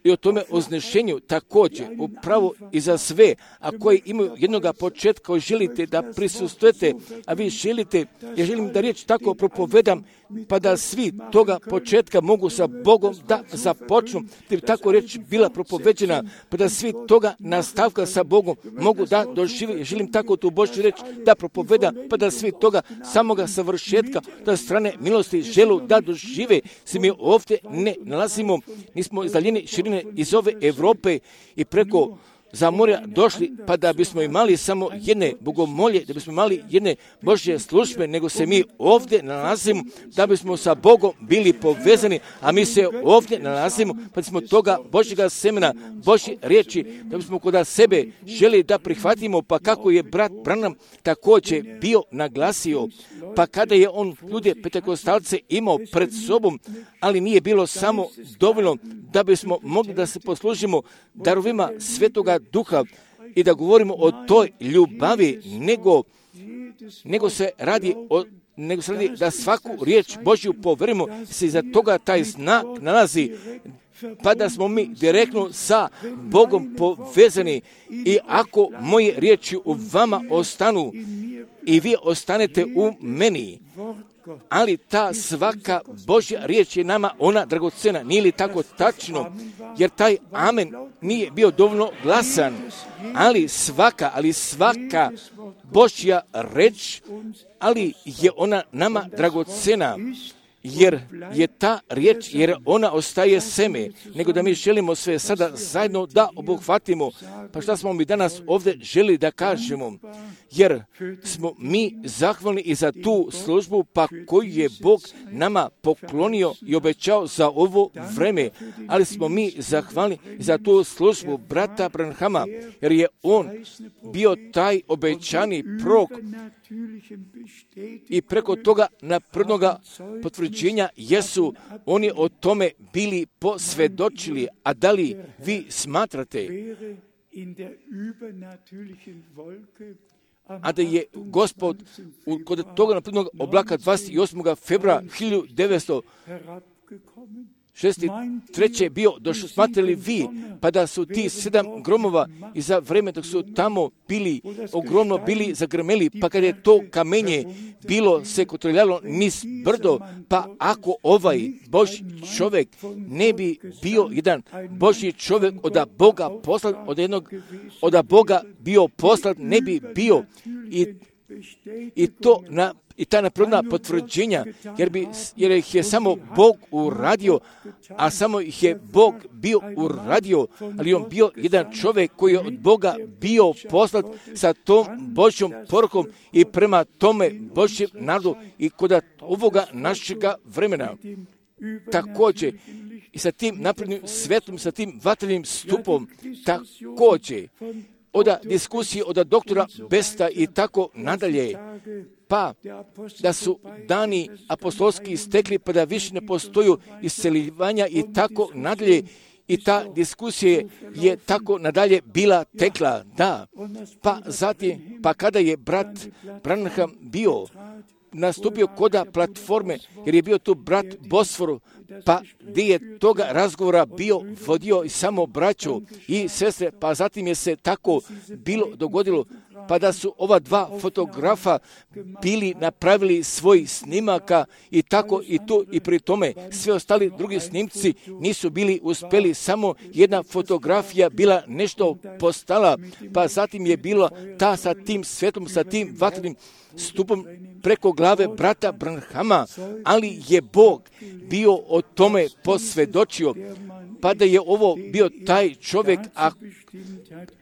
i o tome oznešenju također, upravo i za sve, a koji imaju jednoga početka, koji želite da prisustujete, a vi želite, ja želim da riječ tako propovedam, pa da svi toga početka mogu sa Bogom da započnu, da bi tako riječ bila propoveđena, pa da svi toga nastavka sa Bogom mogu da dožive. Ja želim tako tu Božju riječ da propovedam, pa da svi toga samoga savršetka, da strane milosti želu da dožive. Se mi ovdje ne nalazimo, nismo izdaljeni širine iz ove Europe i preko za morja došli, pa da bismo imali samo jedne bogomolje, da bismo imali jedne Božje službe, nego se mi ovdje nalazimo, da bismo sa Bogom bili povezani, a mi se ovdje nalazimo, pa smo toga Božjega semena, Božje riječi, da bismo kod sebe želi da prihvatimo, pa kako je brat Branham također bio naglasio, pa kada je on ljude pentekostalce imao pred sobom, ali nije bilo samo dovoljno da bismo mogli da se poslužimo darovima Svetoga Duha i da govorimo o toj ljubavi, nego, nego se radi o nego se radi da svaku riječ Božju poverimo, se iza toga taj znak nalazi, pa da smo mi direktno sa Bogom povezani. I ako moje riječi u vama ostanu i vi ostanete u meni, ali ta svaka Božja riječ je nama ona dragocena. Nije li tako tačno? Jer taj amen nije bio dovoljno glasan, ali svaka, ali svaka Božja riječ, ali je ona nama dragocena. Jer je ta riječ, jer ona ostaje seme, nego da mi želimo sve sada zajedno da obuhvatimo. Pa šta smo mi danas ovdje želi da kažemo? Jer smo mi zahvalni i za tu službu, pa koju je Bog nama poklonio i obećao za ovo vreme. Ali smo mi zahvalni i za tu službu brata Branhama, jer je on bio taj obećani prorok. I preko toga naprednoga potvrđenja jesu oni o tome bili posvjedočili. A da li vi smatrate a da je Gospod kod toga naprednog oblaka dvadeset osmog februara hiljadu devetsto šezdeset treće bio došlo, smatrali vi, pa da su ti sedam gromova i za vreme dok su tamo bili, ogromno bili zagrmeli, pa kad je to kamenje bilo se kotrljalo niz brdo, pa ako ovaj Božji čovjek ne bi bio jedan Božji čovjek od Boga poslat, od jednog, od Boga bio poslat, ne bi bio i, i to na I ta napredna potvrđenja, jer, bi, jer ih je samo Bog uradio, a samo ih je Bog bio uradio, ali on bio jedan čovjek koji je od Boga bio poslat sa tom Božjom porukom i prema tome Božjem narodu i kod ovoga našega vremena. Također, i sa tim naprednim svetom, sa tim vatrenim stupom, također, od diskusije od doktora Besta i tako nadalje, pa da su dani apostolski istekli, pa da više ne postoju isceljivanja i tako nadalje. I ta diskusija je tako nadalje bila tekla, da. Pa zatim, pa kada je brat Branham bio nastupio koda platforme, jer je bio tu brat Bosforu, pa gdje je toga razgovora bio vodio i samo braću i sestre, pa zatim je se tako bilo dogodilo, pa da su ova dva fotografa bili napravili svoj snimaka i tako i tu i pri tome sve ostali drugi snimci nisu bili uspjeli, samo jedna fotografija bila nešto postala, pa zatim je bila ta sa tim svetom, sa tim vatrenim stupom preko glave brata Branhama, ali je Bog bio o tome posvjedočio, pa da je ovo bio taj čovjek, a,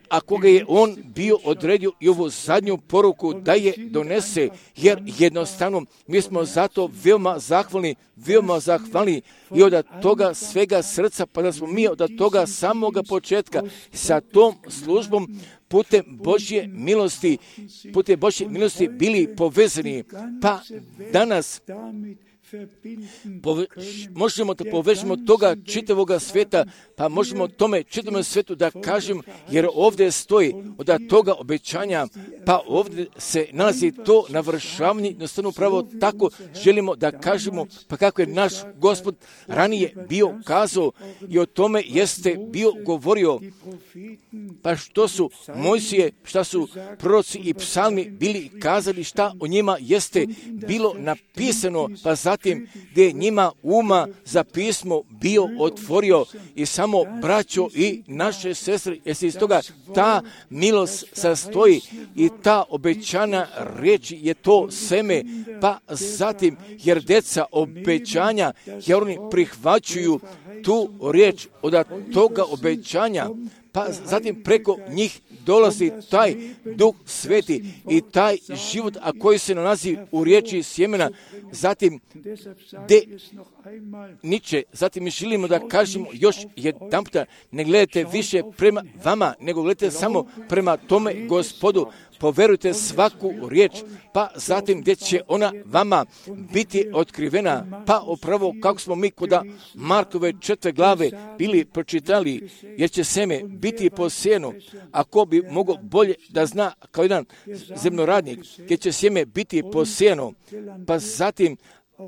a koga je on bio odredio i ovu zadnju poruku da je donese, jer jednostavno mi smo zato veoma zahvalni, veoma zahvalni i od toga svega srca, pa da smo mi od toga samoga početka sa tom službom putem Božje milosti, putem Božje milosti bili povezani. Pa danas Pove, možemo da povežemo toga čitavoga sveta, pa možemo tome čitavom svetu da kažem, jer ovdje stoji od toga obećanja, pa ovdje se nalazi to navršavanje, jednostavno upravo tako želimo da kažemo, pa kako je naš Gospod ranije bio kazao i o tome jeste bio govorio, pa što su Mojsije, šta su proroci i psalmi bili kazali, šta o njima jeste bilo napisano, pa zatim gdje je njima uma za pismo bio otvorio i samo braćo i naše sestre, jer se iz toga ta milost sastoji i ta obećana riječ je to seme, pa zatim jer deca obećanja, jer oni prihvaćuju tu riječ od toga obećanja, pa zatim preko njih dolazi taj Duh Sveti i taj život, a koji se nalazi u riječi sjemena, zatim de niče, zatim mi želimo da kažemo još jedan puta, ne gledajte više prema vama, nego gledajte samo prema tome Gospodu, poverujte svaku riječ, pa zatim gdje će ona vama biti otkrivena, pa upravo kako smo mi kod Markove četvrte glave bili pročitali, jer će seme biti posijeno, ako bi mogao bolje da zna kao jedan zemljoradnik, gdje će sjeme biti posijeno, pa zatim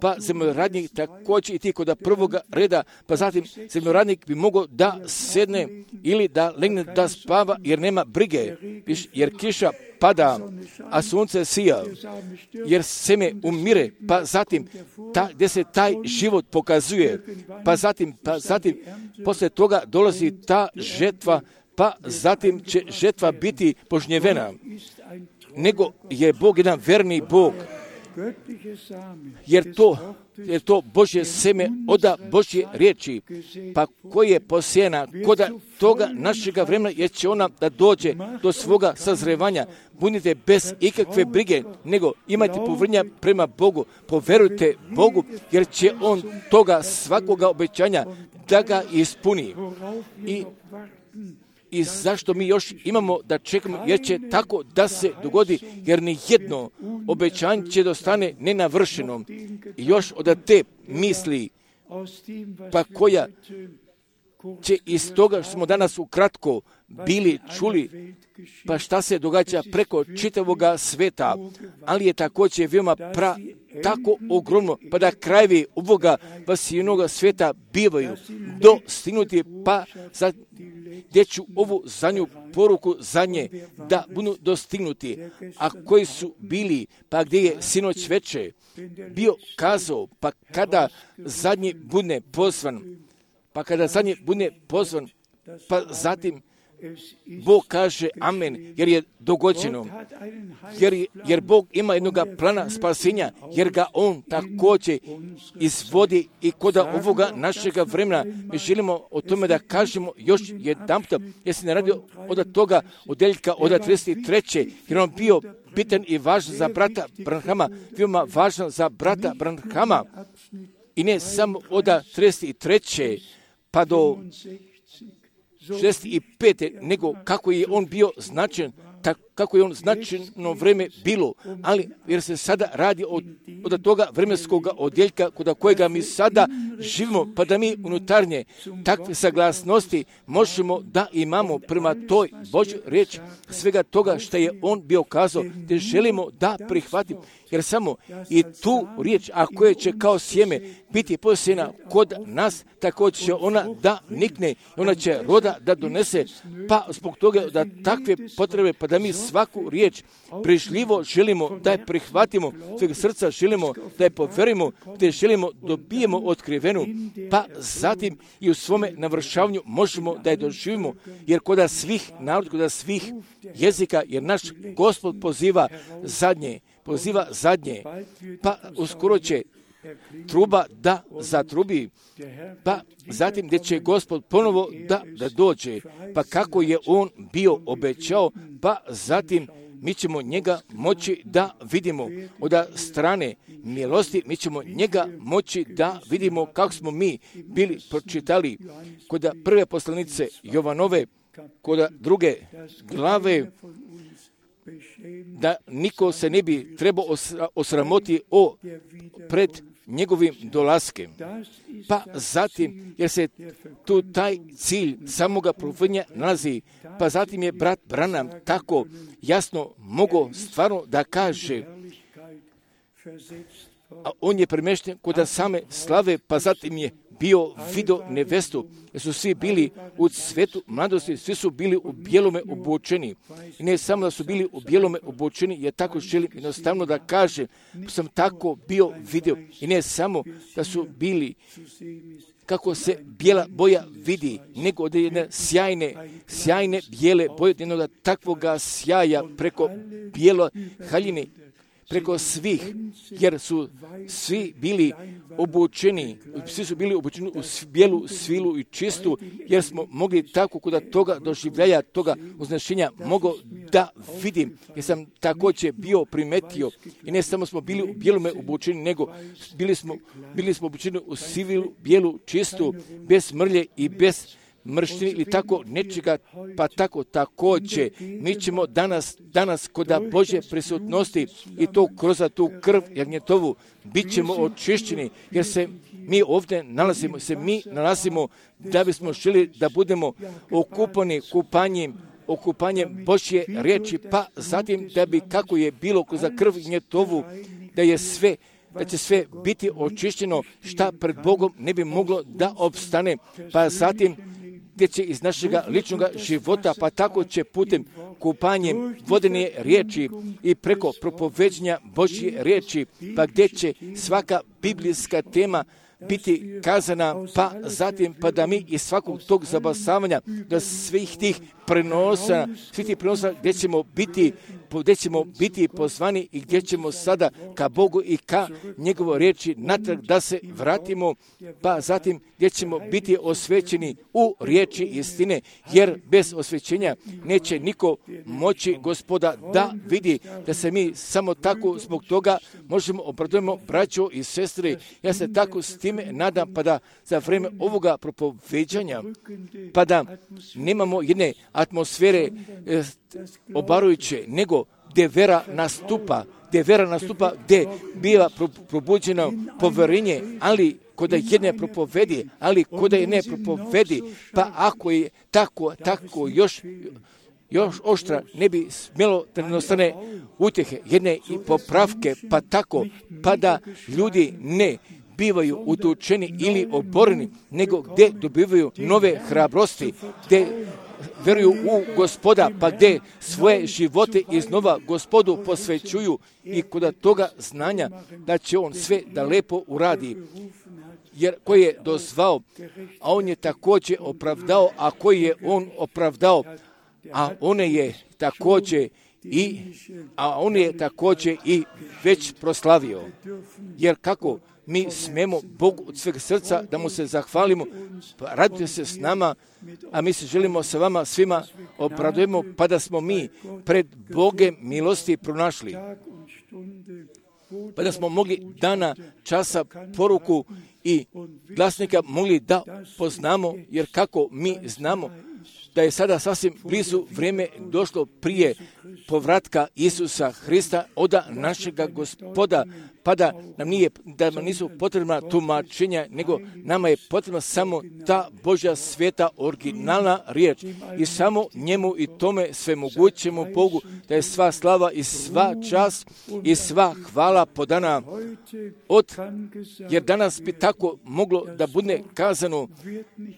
pa zemljoradnik također i ti kod prvoga reda, pa zatim zemljoradnik bi mogao da sedne ili da legne da spava jer nema brige, jer kiša pada, a sunce sija, jer seme umire, pa zatim ta, gdje se taj život pokazuje, pa zatim, pa zatim posle toga dolazi ta žetva, pa zatim će žetva biti požnjevena, nego je Bog jedan verni Bog, jer to, jer to Božje seme oda Božje riječi, pa koje je posijena kod toga našega vremena, jer će ona da dođe do svoga sazrevanja. Budite bez ikakve brige, nego imajte povrnja prema Bogu, poverujte Bogu, jer će On toga svakoga obećanja da ga ispuni. I I zašto mi još imamo da čekamo, jer će tako da se dogodi, jer ni jedno obećanje će dostane nenavršeno. I još od te misli, pa koja će iz toga što smo danas ukratko bili čuli, pa šta se događa preko čitavoga sveta, ali je također veoma pra, tako ogromno, pa da krajevi ovoga vasiljenoga sveta bivaju dostignuti, pa za gdje ću ovu zadnju poruku za nje da budu dostignuti, a koji su bili, pa gdje je sinoć veče bio kazao, pa kada zadnji bude pozvan, pa kada zadnji bude pozvan, pa zatim Bog kaže amen, jer je dogođeno, jer, jer Bog ima jednog plana spasenja, jer ga On također izvodi i kod ovoga našega vremena. Mi želimo o tome da kažemo još jedan puta, jer se ne radi od toga odeljka od trideset treće jer on bio bitan i važan za brata Branhama, veoma važan za brata Branhama, i ne samo od trideset treće pa do šezdeset pete nego kako je on bio značajan, tak, kako je on značajno vreme bilo, ali jer se sada radi od, od toga vremenskog odjeljka kod kojega mi sada živimo, pa da mi unutarnje takve saglasnosti možemo da imamo prema toj Božjoj riječi, svega toga što je on bio kazao, te želimo da prihvatimo, jer samo i tu riječ, a koja će kao sjeme biti posijena kod nas, također će ona da nikne, ona će roda da donese, pa zbog toga da takve potrebe, pa da mi svaku riječ prišljivo želimo da je prihvatimo, svega srca želimo da je poverimo, te želimo dobijemo otkrivenu, pa zatim i u svome navršavanju možemo da je doživimo, jer kod svih naroda, kod svih jezika, jer naš Gospod poziva zadnje, poziva zadnje, pa uskoro će truba da zatrubi, pa zatim gdje će Gospod ponovo da, da dođe, pa kako je on bio obećao, pa zatim mi ćemo njega moći da vidimo od strane milosti, mi ćemo njega moći da vidimo kako smo mi bili pročitali kod prve poslanice Jovanove, kod druge glave, da niko se ne bi trebao osramoti o pred njegovim dolaskem. Pa zatim, jer se tu taj cilj samoga propovjedanja nalazi, pa zatim je brat Branham tako jasno mogao stvarno da kaže, a on je premješten kod same slave, pa zatim je bio vidio nevestu, jer su svi bili u cvetu mladosti, svi su bili u bijelome obučeni. I ne samo da su bili u bijelome obučeni, ja tako želim jednostavno da kažem, sam tako bio vidio. I ne samo da su bili, kako se bijela boja vidi, nego od jedne sjajne, sjajne bijele boje, od jednog takvoga sjaja preko bijelo haljine, preko svih, jer su svi bili obučeni, svi su bili obučeni u bijelu svilu i čistu, jer smo mogli tako kod toga doživljaja, toga uznašenja, mogo da vidim, jer sam također bio primetio, i ne samo smo bili u bijelome obučeni, nego bili smo, bili smo obučeni u sivilu, bijelu, čistu, bez mrlje i bez mrštini ili tako nečega, pa tako također mi ćemo danas, danas kod Božje prisutnosti i to kroz tu krv jagnjetovu bit ćemo očišćeni, jer se mi ovdje nalazimo, se mi nalazimo da bismo želi da budemo okupani kupanjem, okupanjem Božje riječi, pa zatim da bi kako je bilo kroz krv jagnjetovu, da je sve da će sve biti očišćeno, šta pred Bogom ne bi moglo da opstane, pa zatim gdje će iz našega ličnog života, pa tako će putem kupanjem vodene riječi i preko propoveđenja Božje riječi, pa gdje će svaka biblijska tema biti kazana, pa zatim pa da mi iz svakog tog zabasavanja, da svih tih prenosa, svih tih prenosa gdje ćemo biti, gdje ćemo biti pozvani i gdje ćemo sada ka Bogu i ka njegovo riječi natrag da se vratimo, pa zatim gdje ćemo biti osvećeni u riječi istine, jer bez osvećenja neće niko moći Gospoda da vidi, da se mi samo tako zbog toga možemo obradujemo braćo i sestre. Ja se tako s time nadam, pa da za vrijeme ovoga propoveđanja, pa da nemamo jedne atmosfere e, obarujuće, nego gdje vera nastupa, gdje vera nastupa, gdje biva probuđeno povjerenje, ali kod jedne propovedi, ali kod jedne propovedi, pa ako je tako, tako još, još oštra, ne bi smjelo da ne ostane utjehe, jedne i popravke, pa tako, pa da ljudi ne bivaju utučeni ili oboreni, nego gdje dobivaju nove hrabrosti, gdje veruju u Gospoda, pa gdje svoje živote iznova Gospodu posvećuju i kod toga znanja da će on sve da lepo uradi. Jer koji je dozvao, a on je također opravdao, a koji je on opravdao, a one je također i a on je također i već proslavio. Jer kako mi smemo Bogu od sveg srca da mu se zahvalimo, pa radite se s nama, a mi se želimo sa vama svima obradujemo, pa da smo mi pred Bogem milosti pronašli. Pa da smo mogli dana, časa, poruku i glasnika mogli da poznamo, jer kako mi znamo da je sada sasvim blizu vrijeme došlo prije povratka Isusa Hrista oda našega Gospoda, pa da nam nije, da nam nisu potrebna tumačenja, nego nama je potrebna samo ta Božja sveta originalna riječ i samo njemu i tome svemogućemu Bogu da je sva slava i sva čast i sva hvala podana od, jer danas bi tako moglo da bude kazano,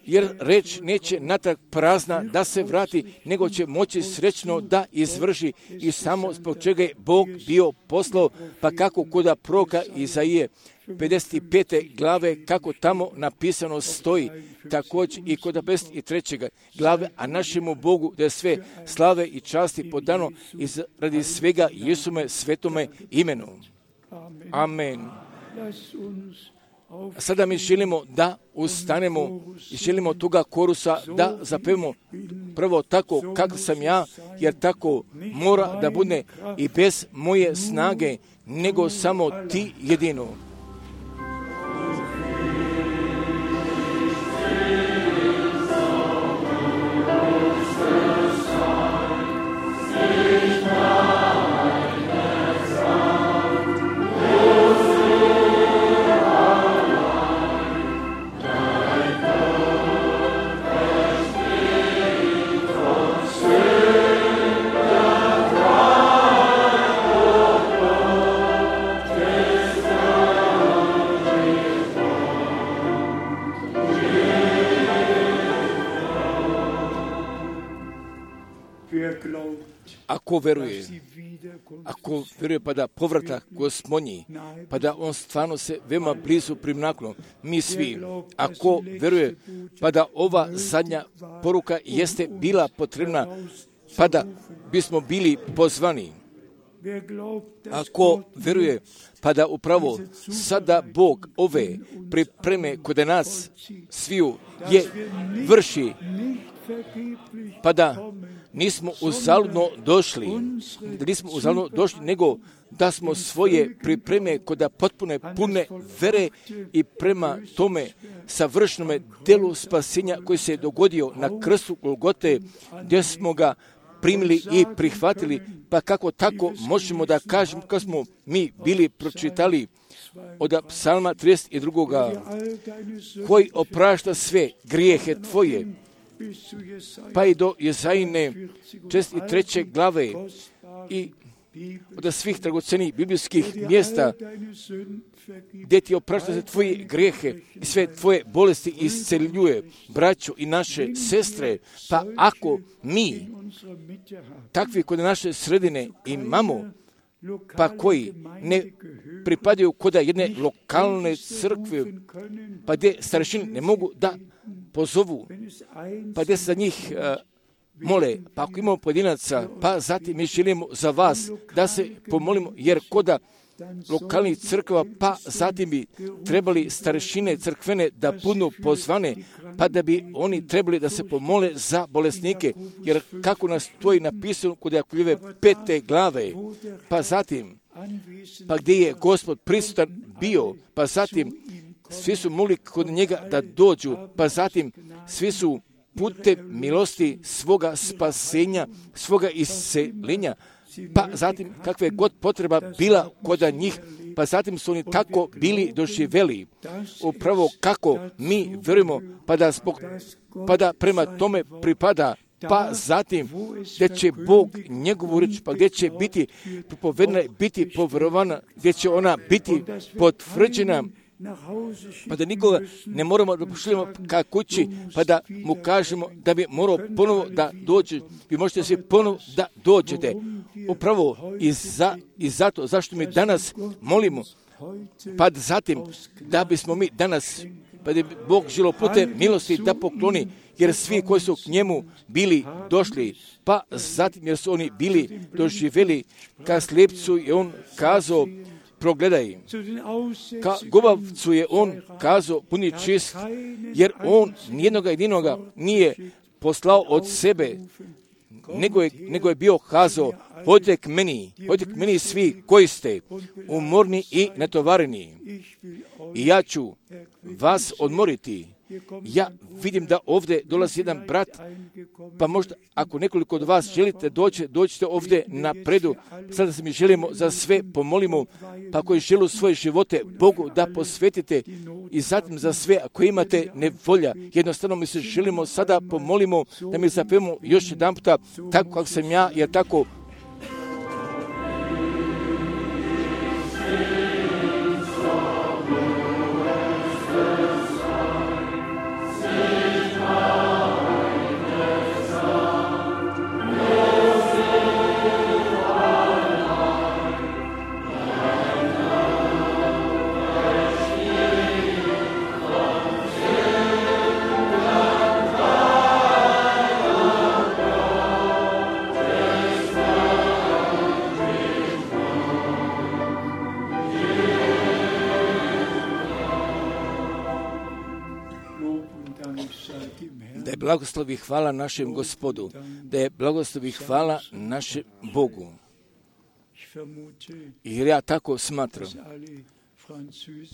jer reč neće natrag prazna da se vrati, nego će moći srećno da izvrši i samo zbog čega je Bog bio poslao, pa kako kod proroka Izaije pedeset pete glave, kako tamo napisano stoji, također i kod pedeset treće glave, a našemu Bogu da je sve slave i časti podano iz radi svega Jesume svetome imenu. Amen. Sada mi želimo da ustanemo i želimo toga korusa da zapevamo prvo tako kako sam ja, jer tako mora da bude i bez moje snage, nego samo ti jedino. Amen. ako veruje, ako veruje pa da povratak Gospodnji, pa da on stvarno se veoma blizu primaknuo, mi svi, ako veruje pa da ova zadnja poruka jeste bila potrebna, pa da bismo bili pozvani. Ako veruje, pa da upravo sada Bog ove pripreme kod nas sviju je vrši, pa da nismo uzaludno došli, da nismo uzaludno došli, nego da smo svoje pripreme kod da potpune pune vere i prema tome savršnome delu spasenja koji se je dogodio na krstu Golgote, gdje smo ga primili i prihvatili, pa kako tako možemo da kažemo kad smo mi bili pročitali od psalma trideset dva. Koji oprašta sve grijehe tvoje, pa i do Jezajine četrdeset treće glave i od svih dragocenih biblijskih mjesta gdje ti oprašta se tvoje grijehe i sve tvoje bolesti isceljuje, braćo i naše sestre. Pa ako mi takvi kod naše sredine imamo, pa koji ne pripadaju kod jedne lokalne crkve, pa gdje starešine ne mogu da pozovu, pa gdje se za njih uh, mole, pa ako imamo pojedinaca, pa zatim mi želimo za vas da se pomolimo, jer koda lokalnih crkva, pa zatim bi trebali starešine crkvene da budu pozvane, pa da bi oni trebali da se pomole za bolesnike, jer kako nas to je napisano kod Jakovljeve pete glave, pa zatim, pa gdje je Gospod prisutan bio, pa zatim svi su mogli kod njega da dođu, pa zatim svi su putem milosti svoga spasenja, svoga isceljenja, pa zatim kakva je god potreba bila kod njih, pa zatim su oni tako bili doživjeli. Upravo kako mi verujemo, pa da, zbog, pa da prema tome pripada, pa zatim gdje će Bog njegovu riječ, pa gdje će biti propovedena, biti povjerovana, gdje će ona biti potvrđena, pa da nikoga ne moramo da pošaljemo ka kući, pa da mu kažemo da bi morao ponovo da dođe. Vi možete svi ponovo da dođete. Upravo i, za, i zato, zašto mi danas molimo, pa zatim da bismo mi danas, pa da bi Bog želio putem milosti da pokloni, jer svi koji su k njemu bili došli, pa zatim jer su oni bili doživjeli, ka slijepcu je on kazao, progledaj, ka gubavcu je on kazao puni čist, jer on nijednoga jedinoga nije poslao od sebe, nego je, nego je bio kazao, hodite k meni, hodite k meni svi koji ste umorni i natovareni, i ja ću vas odmoriti. Ja vidim da ovdje dolazi jedan brat, pa možda ako nekoliko od vas želite doći, dođite ovdje napredu. Sada se mi želimo za sve pomolimo, pa koji žele svoje živote Bogu da posvetite, i zatim za sve ako imate nevolja. Jednostavno mi se želimo sada pomolimo da mi zapevamo još jedan puta tako kako sam ja, jer tako blagoslov i hvala našem Gospodu, da je blagoslov i hvala našem Bogu. Jer ja tako smatram,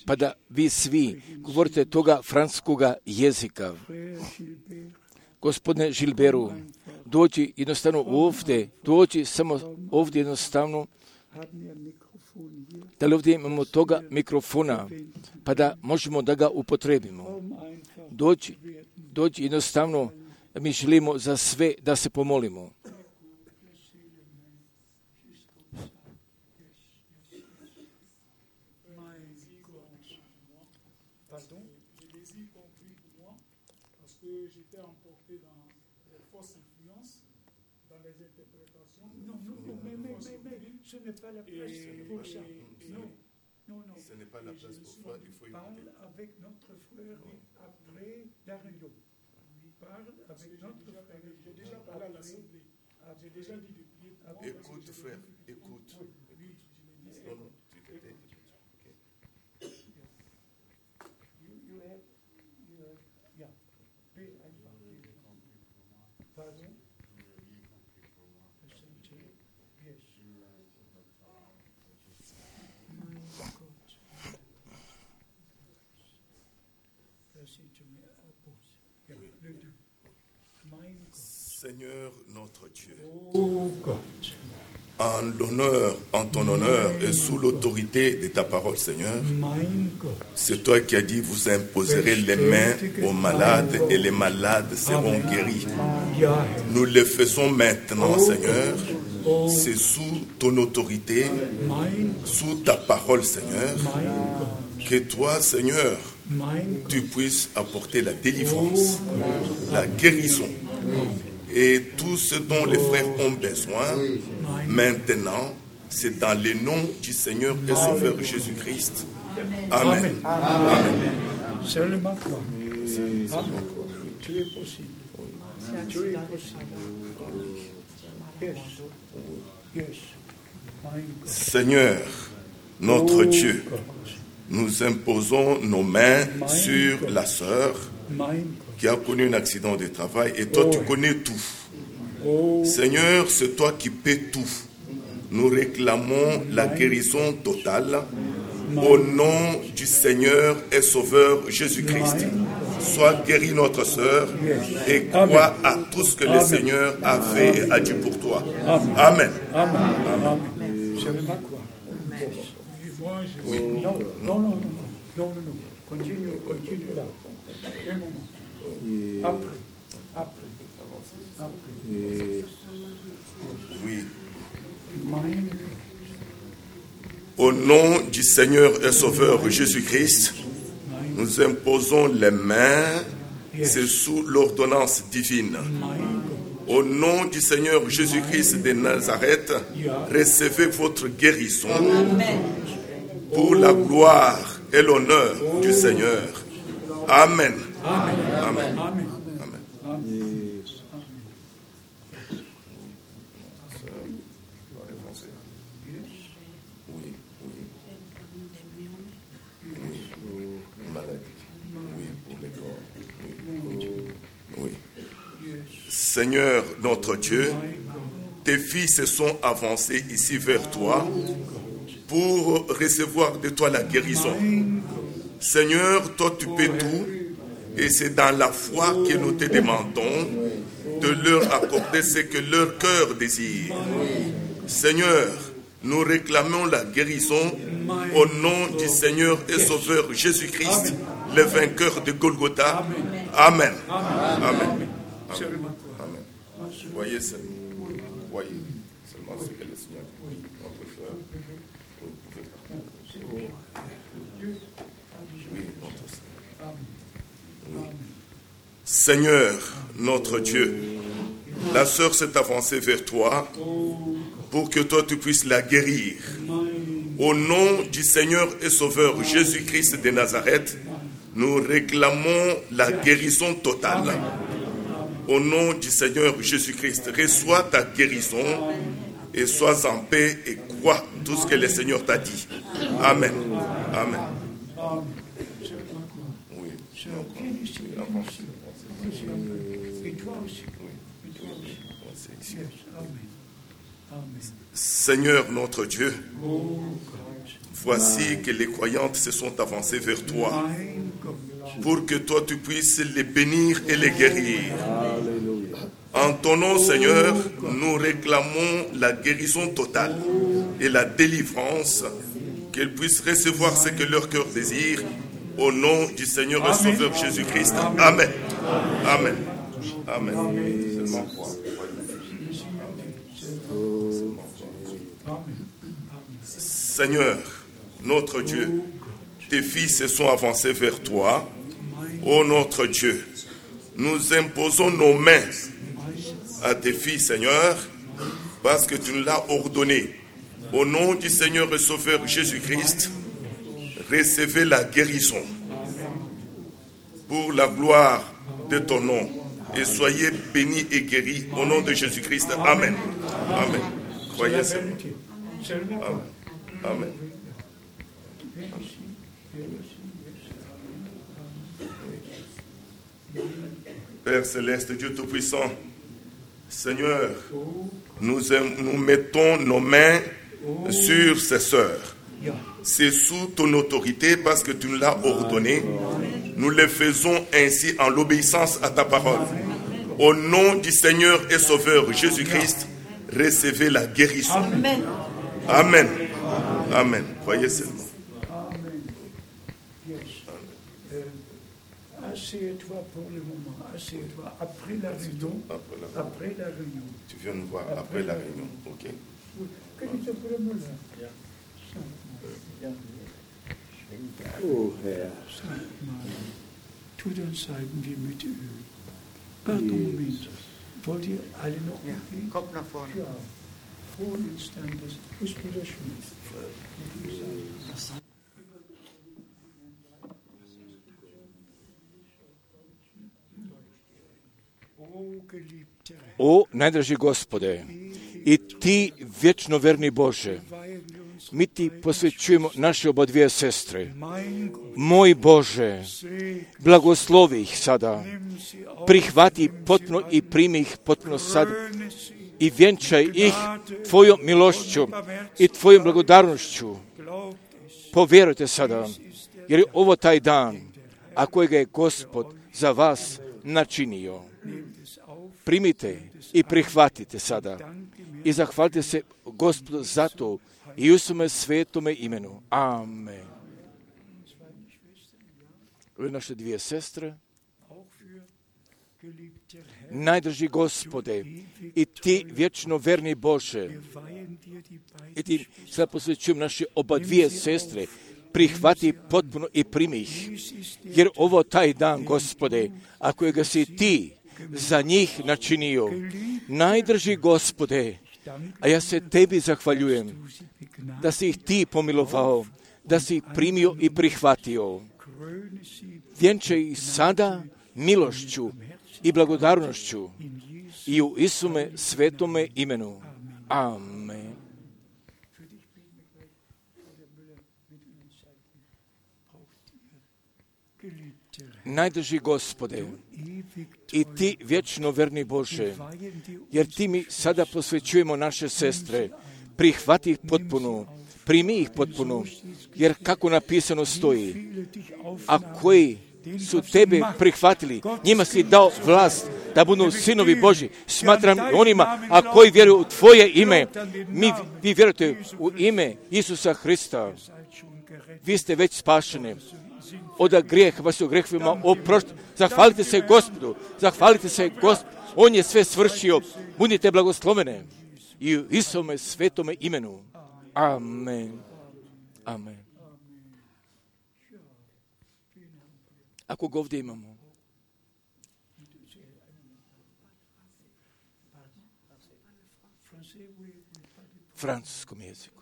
pa da vi svi govorite toga francuskoga jezika. Gospodine Gilberu, dođi jednostavno ovdje, dođi samo ovdje jednostavno, da li ovdje imamo toga mikrofona, pa da možemo da ga upotrebimo. Dođi, dođi jednostavno, mi želimo za sve da se pomolimo. Ce n'est pas la place pour ça. Non, non, non. Ce n'est pas la place pour ça, il faut parle écouter. avec notre frère après Dario. Parle avec notre frère. J'ai déjà parlé à l'Assemblée. J'ai déjà dit de prier pour moi. Écoute, frère, écoute. Oui, je l'ai dit. Non, non, tu t'étais. Ok. You, you have, you have, yeah. Pay einfach. Pardon? Yes. Mein Gott. Das sind schon mehr Abos. Ja, bitte. Mein Gott. Seigneur notre Dieu, Oh Gott. en l'honneur, en ton honneur et sous l'autorité de ta parole, Seigneur, Mein Gott. c'est toi qui as dit, vous imposerez les mains aux malades et les malades seront guéris. Ja, Nous le faisons maintenant, Seigneur. oh, C'est sous ton autorité, mein, sous ta parole, Seigneur, mein Gott. que toi, Seigneur, Mein Gott. tu puisses apporter la délivrance, la guérison et tout ce dont les frères ont besoin. Maintenant, c'est dans le nom du Seigneur et Sauveur Jésus-Christ. Amen. Amen. Seulement toi. Amen. Tu es possible. Tu es possible. Yes. Yes. Mein Gott. Seigneur, notre Dieu, Gott. nous imposons nos mains sur la sœur Mein Gott. qui a connu un accident de travail et toi, tu connais tout. Oh, Seigneur, c'est toi qui paies tout. Nous réclamons la guérison totale au nom du Seigneur et Sauveur Jésus-Christ. Sois guéri notre sœur et crois à tout ce que le Seigneur a fait et a dit pour toi. Amen. Amen. Amen. Seulement quoi? Moi, je... Non, non, non, non, non, non, non, non. Continue, continue là. Un moment. Après, après, après. Oui. Mein Au nom du Seigneur et Sauveur Jésus-Christ, nous imposons les mains, c'est sous l'ordonnance divine. Au nom du Seigneur Jésus-Christ de Nazareth, recevez votre guérison pour la gloire et l'honneur du Seigneur. Amen. Amen. Amen. Amen. Oui, oui. Oui, maladie. Oui, pour les corps. Oui. Oui. Seigneur notre Dieu, tes fils se sont avancés ici vers toi pour recevoir de toi la guérison. Seigneur, toi tu peux tout et c'est dans la foi que nous te demandons de leur accorder ce que leur cœur désire. Seigneur, nous réclamons la guérison au nom du Seigneur et Sauveur Jésus-Christ, le vainqueur de Golgotha. Amen. Amen. Amen. Amen. Voyez seulement, voyez seulement ce que le Seigneur dit. Notre frère, vous pouvez partager. Oui, notre Seigneur. Oui. Seigneur, notre Dieu, la sœur s'est avancée vers toi pour que toi tu puisses la guérir. Au nom du Seigneur et Sauveur Jésus-Christ de Nazareth, nous réclamons la guérison totale. Au nom du Seigneur Jésus-Christ, reçois ta guérison et sois en paix et crois tout ce que le Seigneur t'a dit. Amen. Amen. Oui. Seigneur notre Dieu, voici que les croyantes se sont avancées vers toi pour que toi tu puisses les bénir et les guérir. En ton nom, Seigneur, nous réclamons la guérison totale et la délivrance, qu'elles puissent recevoir ce que leur cœur désire, au nom du Seigneur et Sauveur Jésus-Christ. Amen. Amen. Amen. Seulement croire. Seigneur, notre Dieu, tes fils se sont avancés vers toi. Ô notre Dieu, nous imposons nos mains à tes filles, Seigneur, parce que tu nous l'as ordonné. Au nom du Seigneur et Sauveur Jésus-Christ, recevez la guérison pour la gloire de ton nom. Et soyez bénis et guéris au nom de Jésus-Christ. Amen. Amen. Croyez seulement. Amen. Amen. Père céleste, Dieu Tout-Puissant, Seigneur, nous, aim- nous mettons nos mains sur ces sœurs. C'est sous ton autorité parce que tu nous l'as ordonné. Nous le faisons ainsi en l'obéissance à ta parole. Au nom du Seigneur et Sauveur Jésus-Christ, recevez la guérison. Amen. Amen. Amen. Croyez seulement. Asseyez-toi pour le moment, asseyez-toi après la réunion. Après la réunion. Tu viens nous voir après la réunion. Ok. Oh Herr. Tu dann zeigen wir mit Öl. Pardon, Moment. Wollt ihr alle noch Ja, kommt nach vorne. Ja. Frohen Instantes. Ist Bruder Schmidt. O najdraži Gospode, i ti vječno verni Bože, mi ti posvećujemo naše oba dvije sestre. Moj Bože, blagoslovi ih sada, prihvati potpuno i primi ih potpuno sada i vjenčaj ih tvojom milošću i tvojom blagodarnošću. Povjerujte sada, jer je ovo taj dan, a kojega je Gospod za vas načinio. Primite i prihvatite sada i zahvalite se Gospodu za to i u svome svetome imenu. Amen. Ove naše dvije sestre, najdrži Gospode, i ti vječno verni Bože, i ti sad posvećujem naše oba dvije sestre, prihvati potpuno i primi ih, jer ovo taj dan, Gospode, a kojega si ti za njih načinio. Najdrži Gospode, a ja se tebi zahvaljujem da si ih ti pomilovao, da si ih primio i prihvatio. Vjenčaj ih sada milošću i blagodarnošću i u Isume svetome imenu. Amen. Najdrži Gospode, i ti vječno verni Bože, jer ti mi sada posvećujemo naše sestre, prihvati ih potpuno, primi ih potpuno, jer kako napisano stoji, a koji su tebe prihvatili, njima si dao vlast da budu sinovi Božji. Smatram onima, a koji vjeruju u tvoje ime, mi, vi vjerujete u ime Isusa Hrista, vi ste već spašeni. Od grijeha, pa su grehvima oprošteni. Zahvalite se Gospodu, zahvalite se Gospodu, on je sve svršio, budite blagoslovene i u Isome svetome imenu. Amen. Amen. Ako ga ovdje imamo. Francuskom jeziku.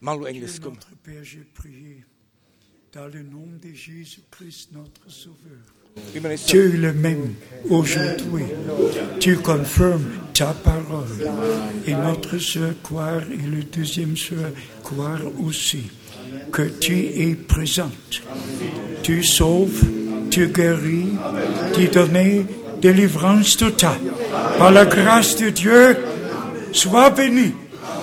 Malo engleskom. Dieu le même aujourd'hui, tu confirmes ta parole. Et notre sœur croire et le deuxième sœur croire aussi que tu es présente. Tu sauves, tu guéris, tu donnes délivrance totale. Par la grâce de Dieu, sois béni,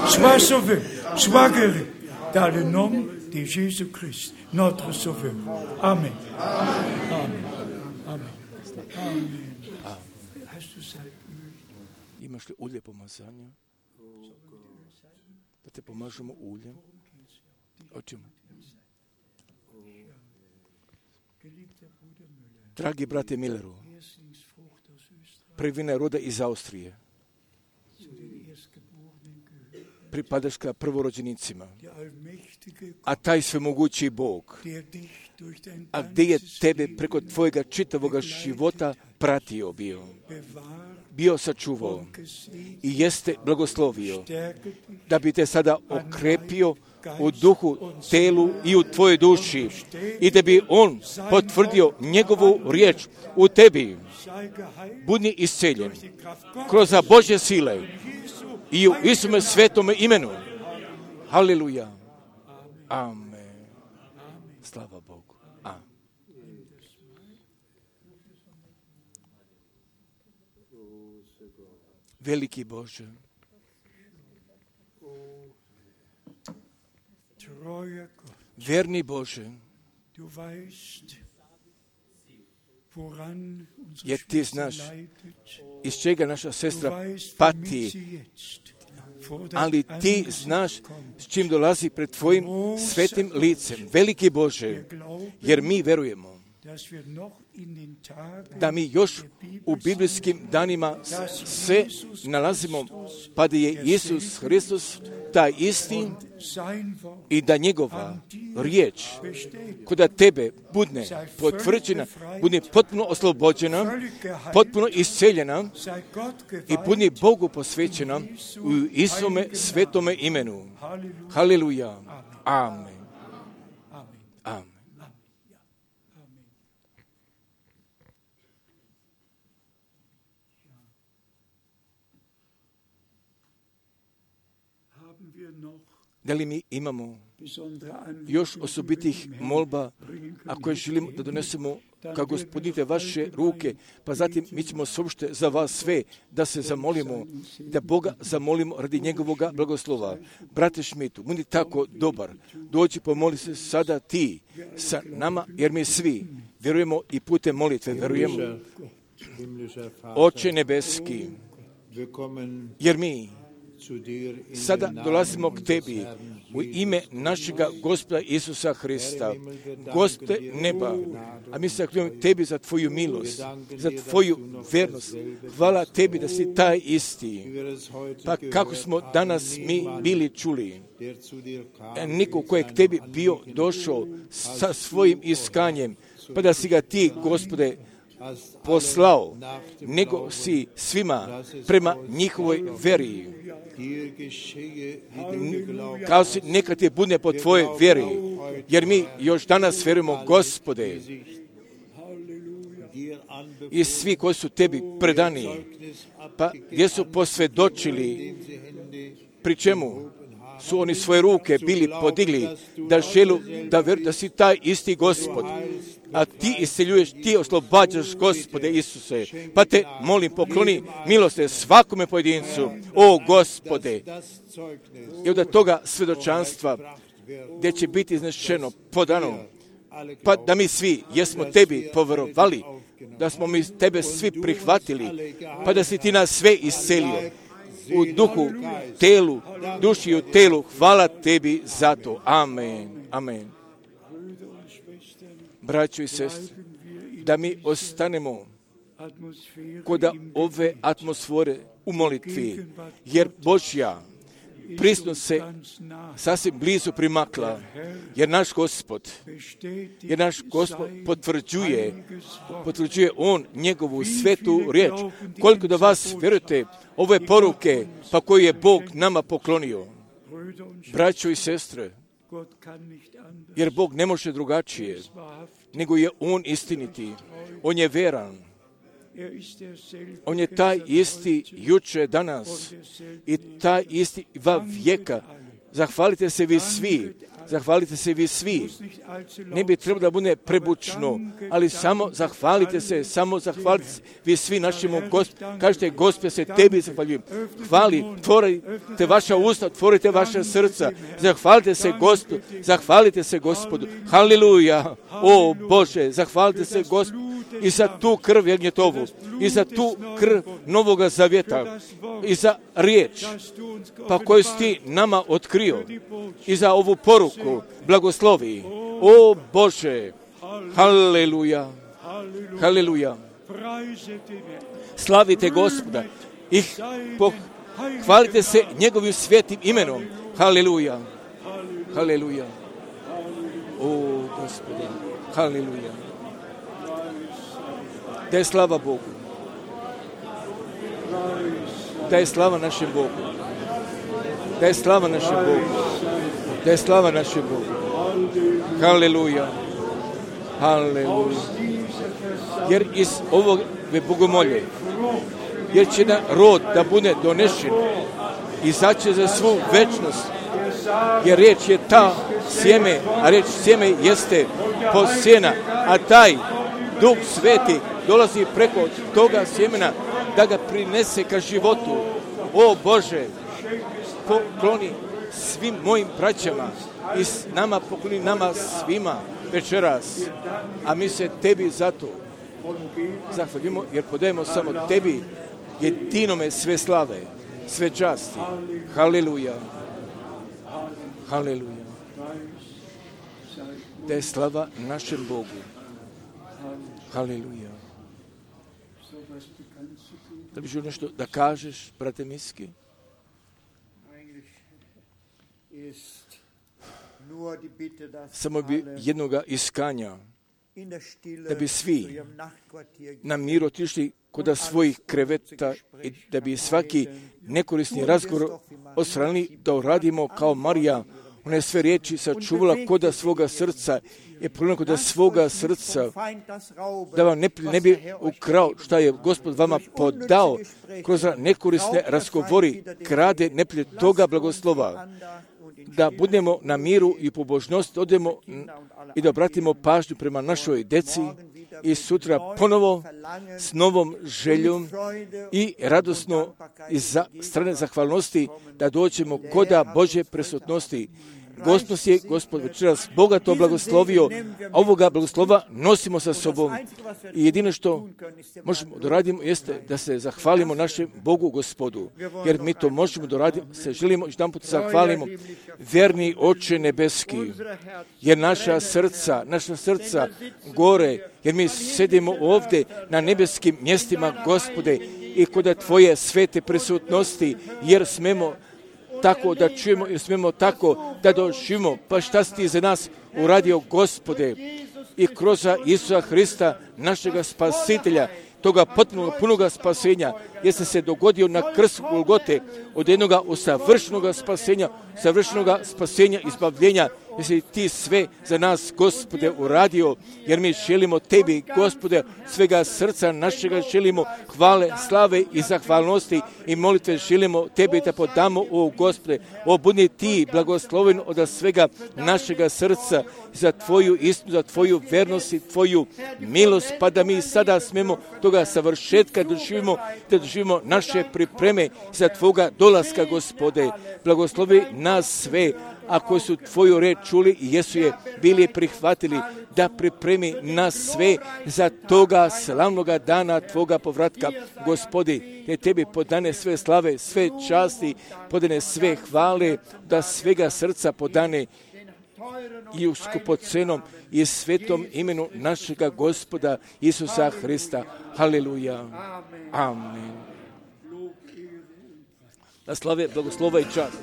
sois sauvé, sois guéri. Dans le nom de Jésus-Christ, notre Sauveur. Amen. Amen. Amen. Amen. Hast du Salböl? Imaš li ulje pomazanja? Da te pomažemo uljem? O čemu? Dragi brate Milleru, prvina roda iz Austrije. pripadaš ka prvorođenicima, a taj svemogući Bog, a gdje je tebe preko tvojega čitavoga života pratio bio, bio sačuvao i jeste blagoslovio, da bi te sada okrepio u duhu, telu i u tvojoj duši i da bi on potvrdio njegovu riječ u tebi. Budi isceljen kroz Božje sile i u Isume svetome imenu. Haleluja. Amen. Slava Bogu. Amen. Veliki Bože, verni Bože, jer ti znaš iz čega naša sestra pati, ali ti znaš s čim dolazi pred tvojim svetim licem. Veliki Bože, jer mi verujemo da mi još u biblijskim danima se nalazimo, pa da je Isus Hristos taj isti i da njegova riječ koda tebe budne potvrđena, bude potpuno oslobođena, potpuno isceljena i budne Bogu posvećena u Isume svetome imenu. Haleluja. Amen. Amen. Da li mi imamo još osobitih molba, ako je želimo da donesemo kao Gospodite vaše ruke, pa zatim mi ćemo sopšte za vas sve da se zamolimo, da Boga zamolimo radi njegovoga blagoslova. Brate Šmitu, budi tako dobar, dođi pomoli se sada ti sa nama, jer mi svi vjerujemo i putem molitve vjerujemo. Oče nebeski, jer mi sada dolazimo k tebi u ime našega Gospoda Isusa Hrista, Gospode neba, a mi se zahvaljujemo tebi za tvoju milost, za tvoju vernost. Hvala tebi da si taj isti. Pa kako smo danas mi bili čuli, niko ko je k tebi bio došao sa svojim iskanjem, pa da si ga ti, Gospode, poslao, nego si svima prema njihovoj veri. Kao si neka ti bude po tvojoj vjeri, jer mi još danas vjerujemo, Gospode, i svi koji su tebi predani, pa gdje su posvjedočili, pri čemu su oni svoje ruke bili podigli, da želu da vjeruju da si taj isti Gospod, a ti isceljuješ, ti oslobađaš, Gospode Isuse, pa te molim, pokloni milosti svakome pojedincu, o Gospode, i od toga svjedočanstva gdje će biti iznešeno, podano, pa da mi svi jesmo tebi povjerovali, da smo mi tebe svi prihvatili, pa da si ti nas sve iscelio u duhu, telu, duši i u telu. Hvala tebi za to. Amen. Amen. Braćo i sestre, da mi ostanemo kod ove atmosfere u molitvi, jer Božja prisutnost se sasvim blizu primakla, jer naš Gospod, jer naš Gospod potvrđuje, potvrđuje On njegovu svetu riječ. Koliko da vas vjerujete ove poruke, pa koju je Bog nama poklonio, braćo i sestre, jer Bog ne može drugačije, nego je On istiniti, On je veran, On je taj isti juče, danas i taj isti va vijeka. Zahvalite se vi svi, zahvalite se vi svi. Ne bi trebalo da bude prebučno, ali samo zahvalite se, samo zahvalite se vi svi našemu Gospodu. Kažete, Gospode, se tebi zahvaljujem. Hvali, otvorite vaša usta, otvorite vaša srca. Zahvalite se Gospodu, zahvalite se Gospodu. Haleluja, o Bože, zahvalite se Gospodu i za tu krv jagnjetovu, i za tu krv Novoga Zavjeta, i za riječ, pa koju si ti nama otkrio, i za ovu poruku blagoslovi. O Bože, haleluja, haleluja. Slavite Gospoda i Hvalite se njegovim svetim imenom. Haleluja. Haleluja. O, Gospode. Haleluja. Da je slava Bogu. Da je slava našem Bogu. Da je slava našem Bogu. Da je slava našem Bogu. Haleluja. Haleluja. Jer iz ovog bogomolje, jer će na rod da bude donešen, izaće za svu večnost, jer riječ je ta sjeme, a riječ sjeme jeste posjena, a taj Duh Sveti dolazi preko toga sjemena da ga prinese ka životu. O Bože, pokloni svim mojim braćama i s nama pokloni nama svima večeras, a mi se tebi zato zahvalimo, jer podajemo samo tebi, jedinome sve slave, sve časti. Haleluja. Haleluja. Da je slava našem Bogu. Haleluja. Da bi želio nešto da kažeš, brate Miski? Samo bi jednoga iskanja, da bi svi na miru otišli kod svojih kreveta i da bi svaki nekorisni razgovor odstranili, da uradimo kao Marija, ona je sve riječi sačuvala kod svoga srca i pogledala kod svoga srca, da vam ne, ne bi ukrao šta je Gospod vama podao kroz nekorisne razgovori, krade neprijatelj toga blagoslova. Da budemo na miru i pobožnosti, odemo i da obratimo pažnju prema našoj deci i sutra ponovo s novom željom i radosno iz strane zahvalnosti da dođemo koda Božje prisutnosti. Gospod je, Gospod večeras bogato blagoslovio, a ovoga blagoslova nosimo sa sobom. I jedino što možemo da radimo jeste da se zahvalimo našem Bogu Gospodu, jer mi to možemo da radimo, se želimo jedan put zahvalimo. Verni Oče nebeski, jer naša srca, naša srca gore, jer mi sedimo ovdje na nebeskim mjestima, Gospode, i kod Tvoje svete prisutnosti, jer smemo tako da čujemo i smemo tako da doživimo. Pa šta si ti za nas uradio, Gospode, i kroz Isusa Hrista, našega spasitelja, toga potpunog punoga spasenja, jeste se dogodio na krstu Golgote, od jednoga usavršenoga spasenja, savršenoga spasenja, izbavljenja, jesi ti sve za nas, Gospode, uradio, jer mi želimo tebi, Gospode, svega srca našega želimo hvale, slave i zahvalnosti i molitve želimo tebi da podamo, o Gospode, o budi ti blagosloven od svega našega srca za tvoju istinu, za tvoju vernost i tvoju milost, pa da mi sada smemo toga savršetka doživimo, da doživimo naše pripreme za tvoga dolaska, Gospode. Blagoslovi nas sve, a koji su tvoju reč čuli i jesu je bili prihvatili, da pripremi nas sve za toga slavnoga dana tvoga povratka, Gospodi. Ne tebi podane sve slave, sve časti, podane sve hvale, da svega srca podane i u skupocenom i svetom imenu našega Gospoda Isusa Hrista. Haleluja. Amen. Da slave, blagoslova i čast.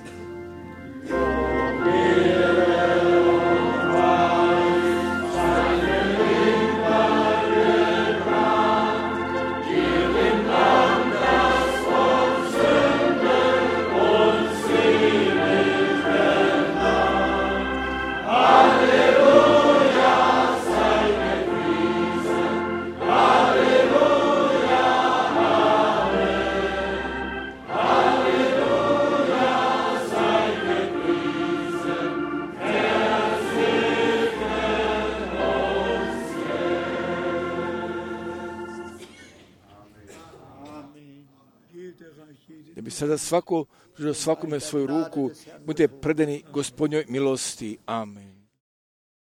Da bi sada svako, svakome svoju ruku, budete predani Gospodnjoj milosti. Amen.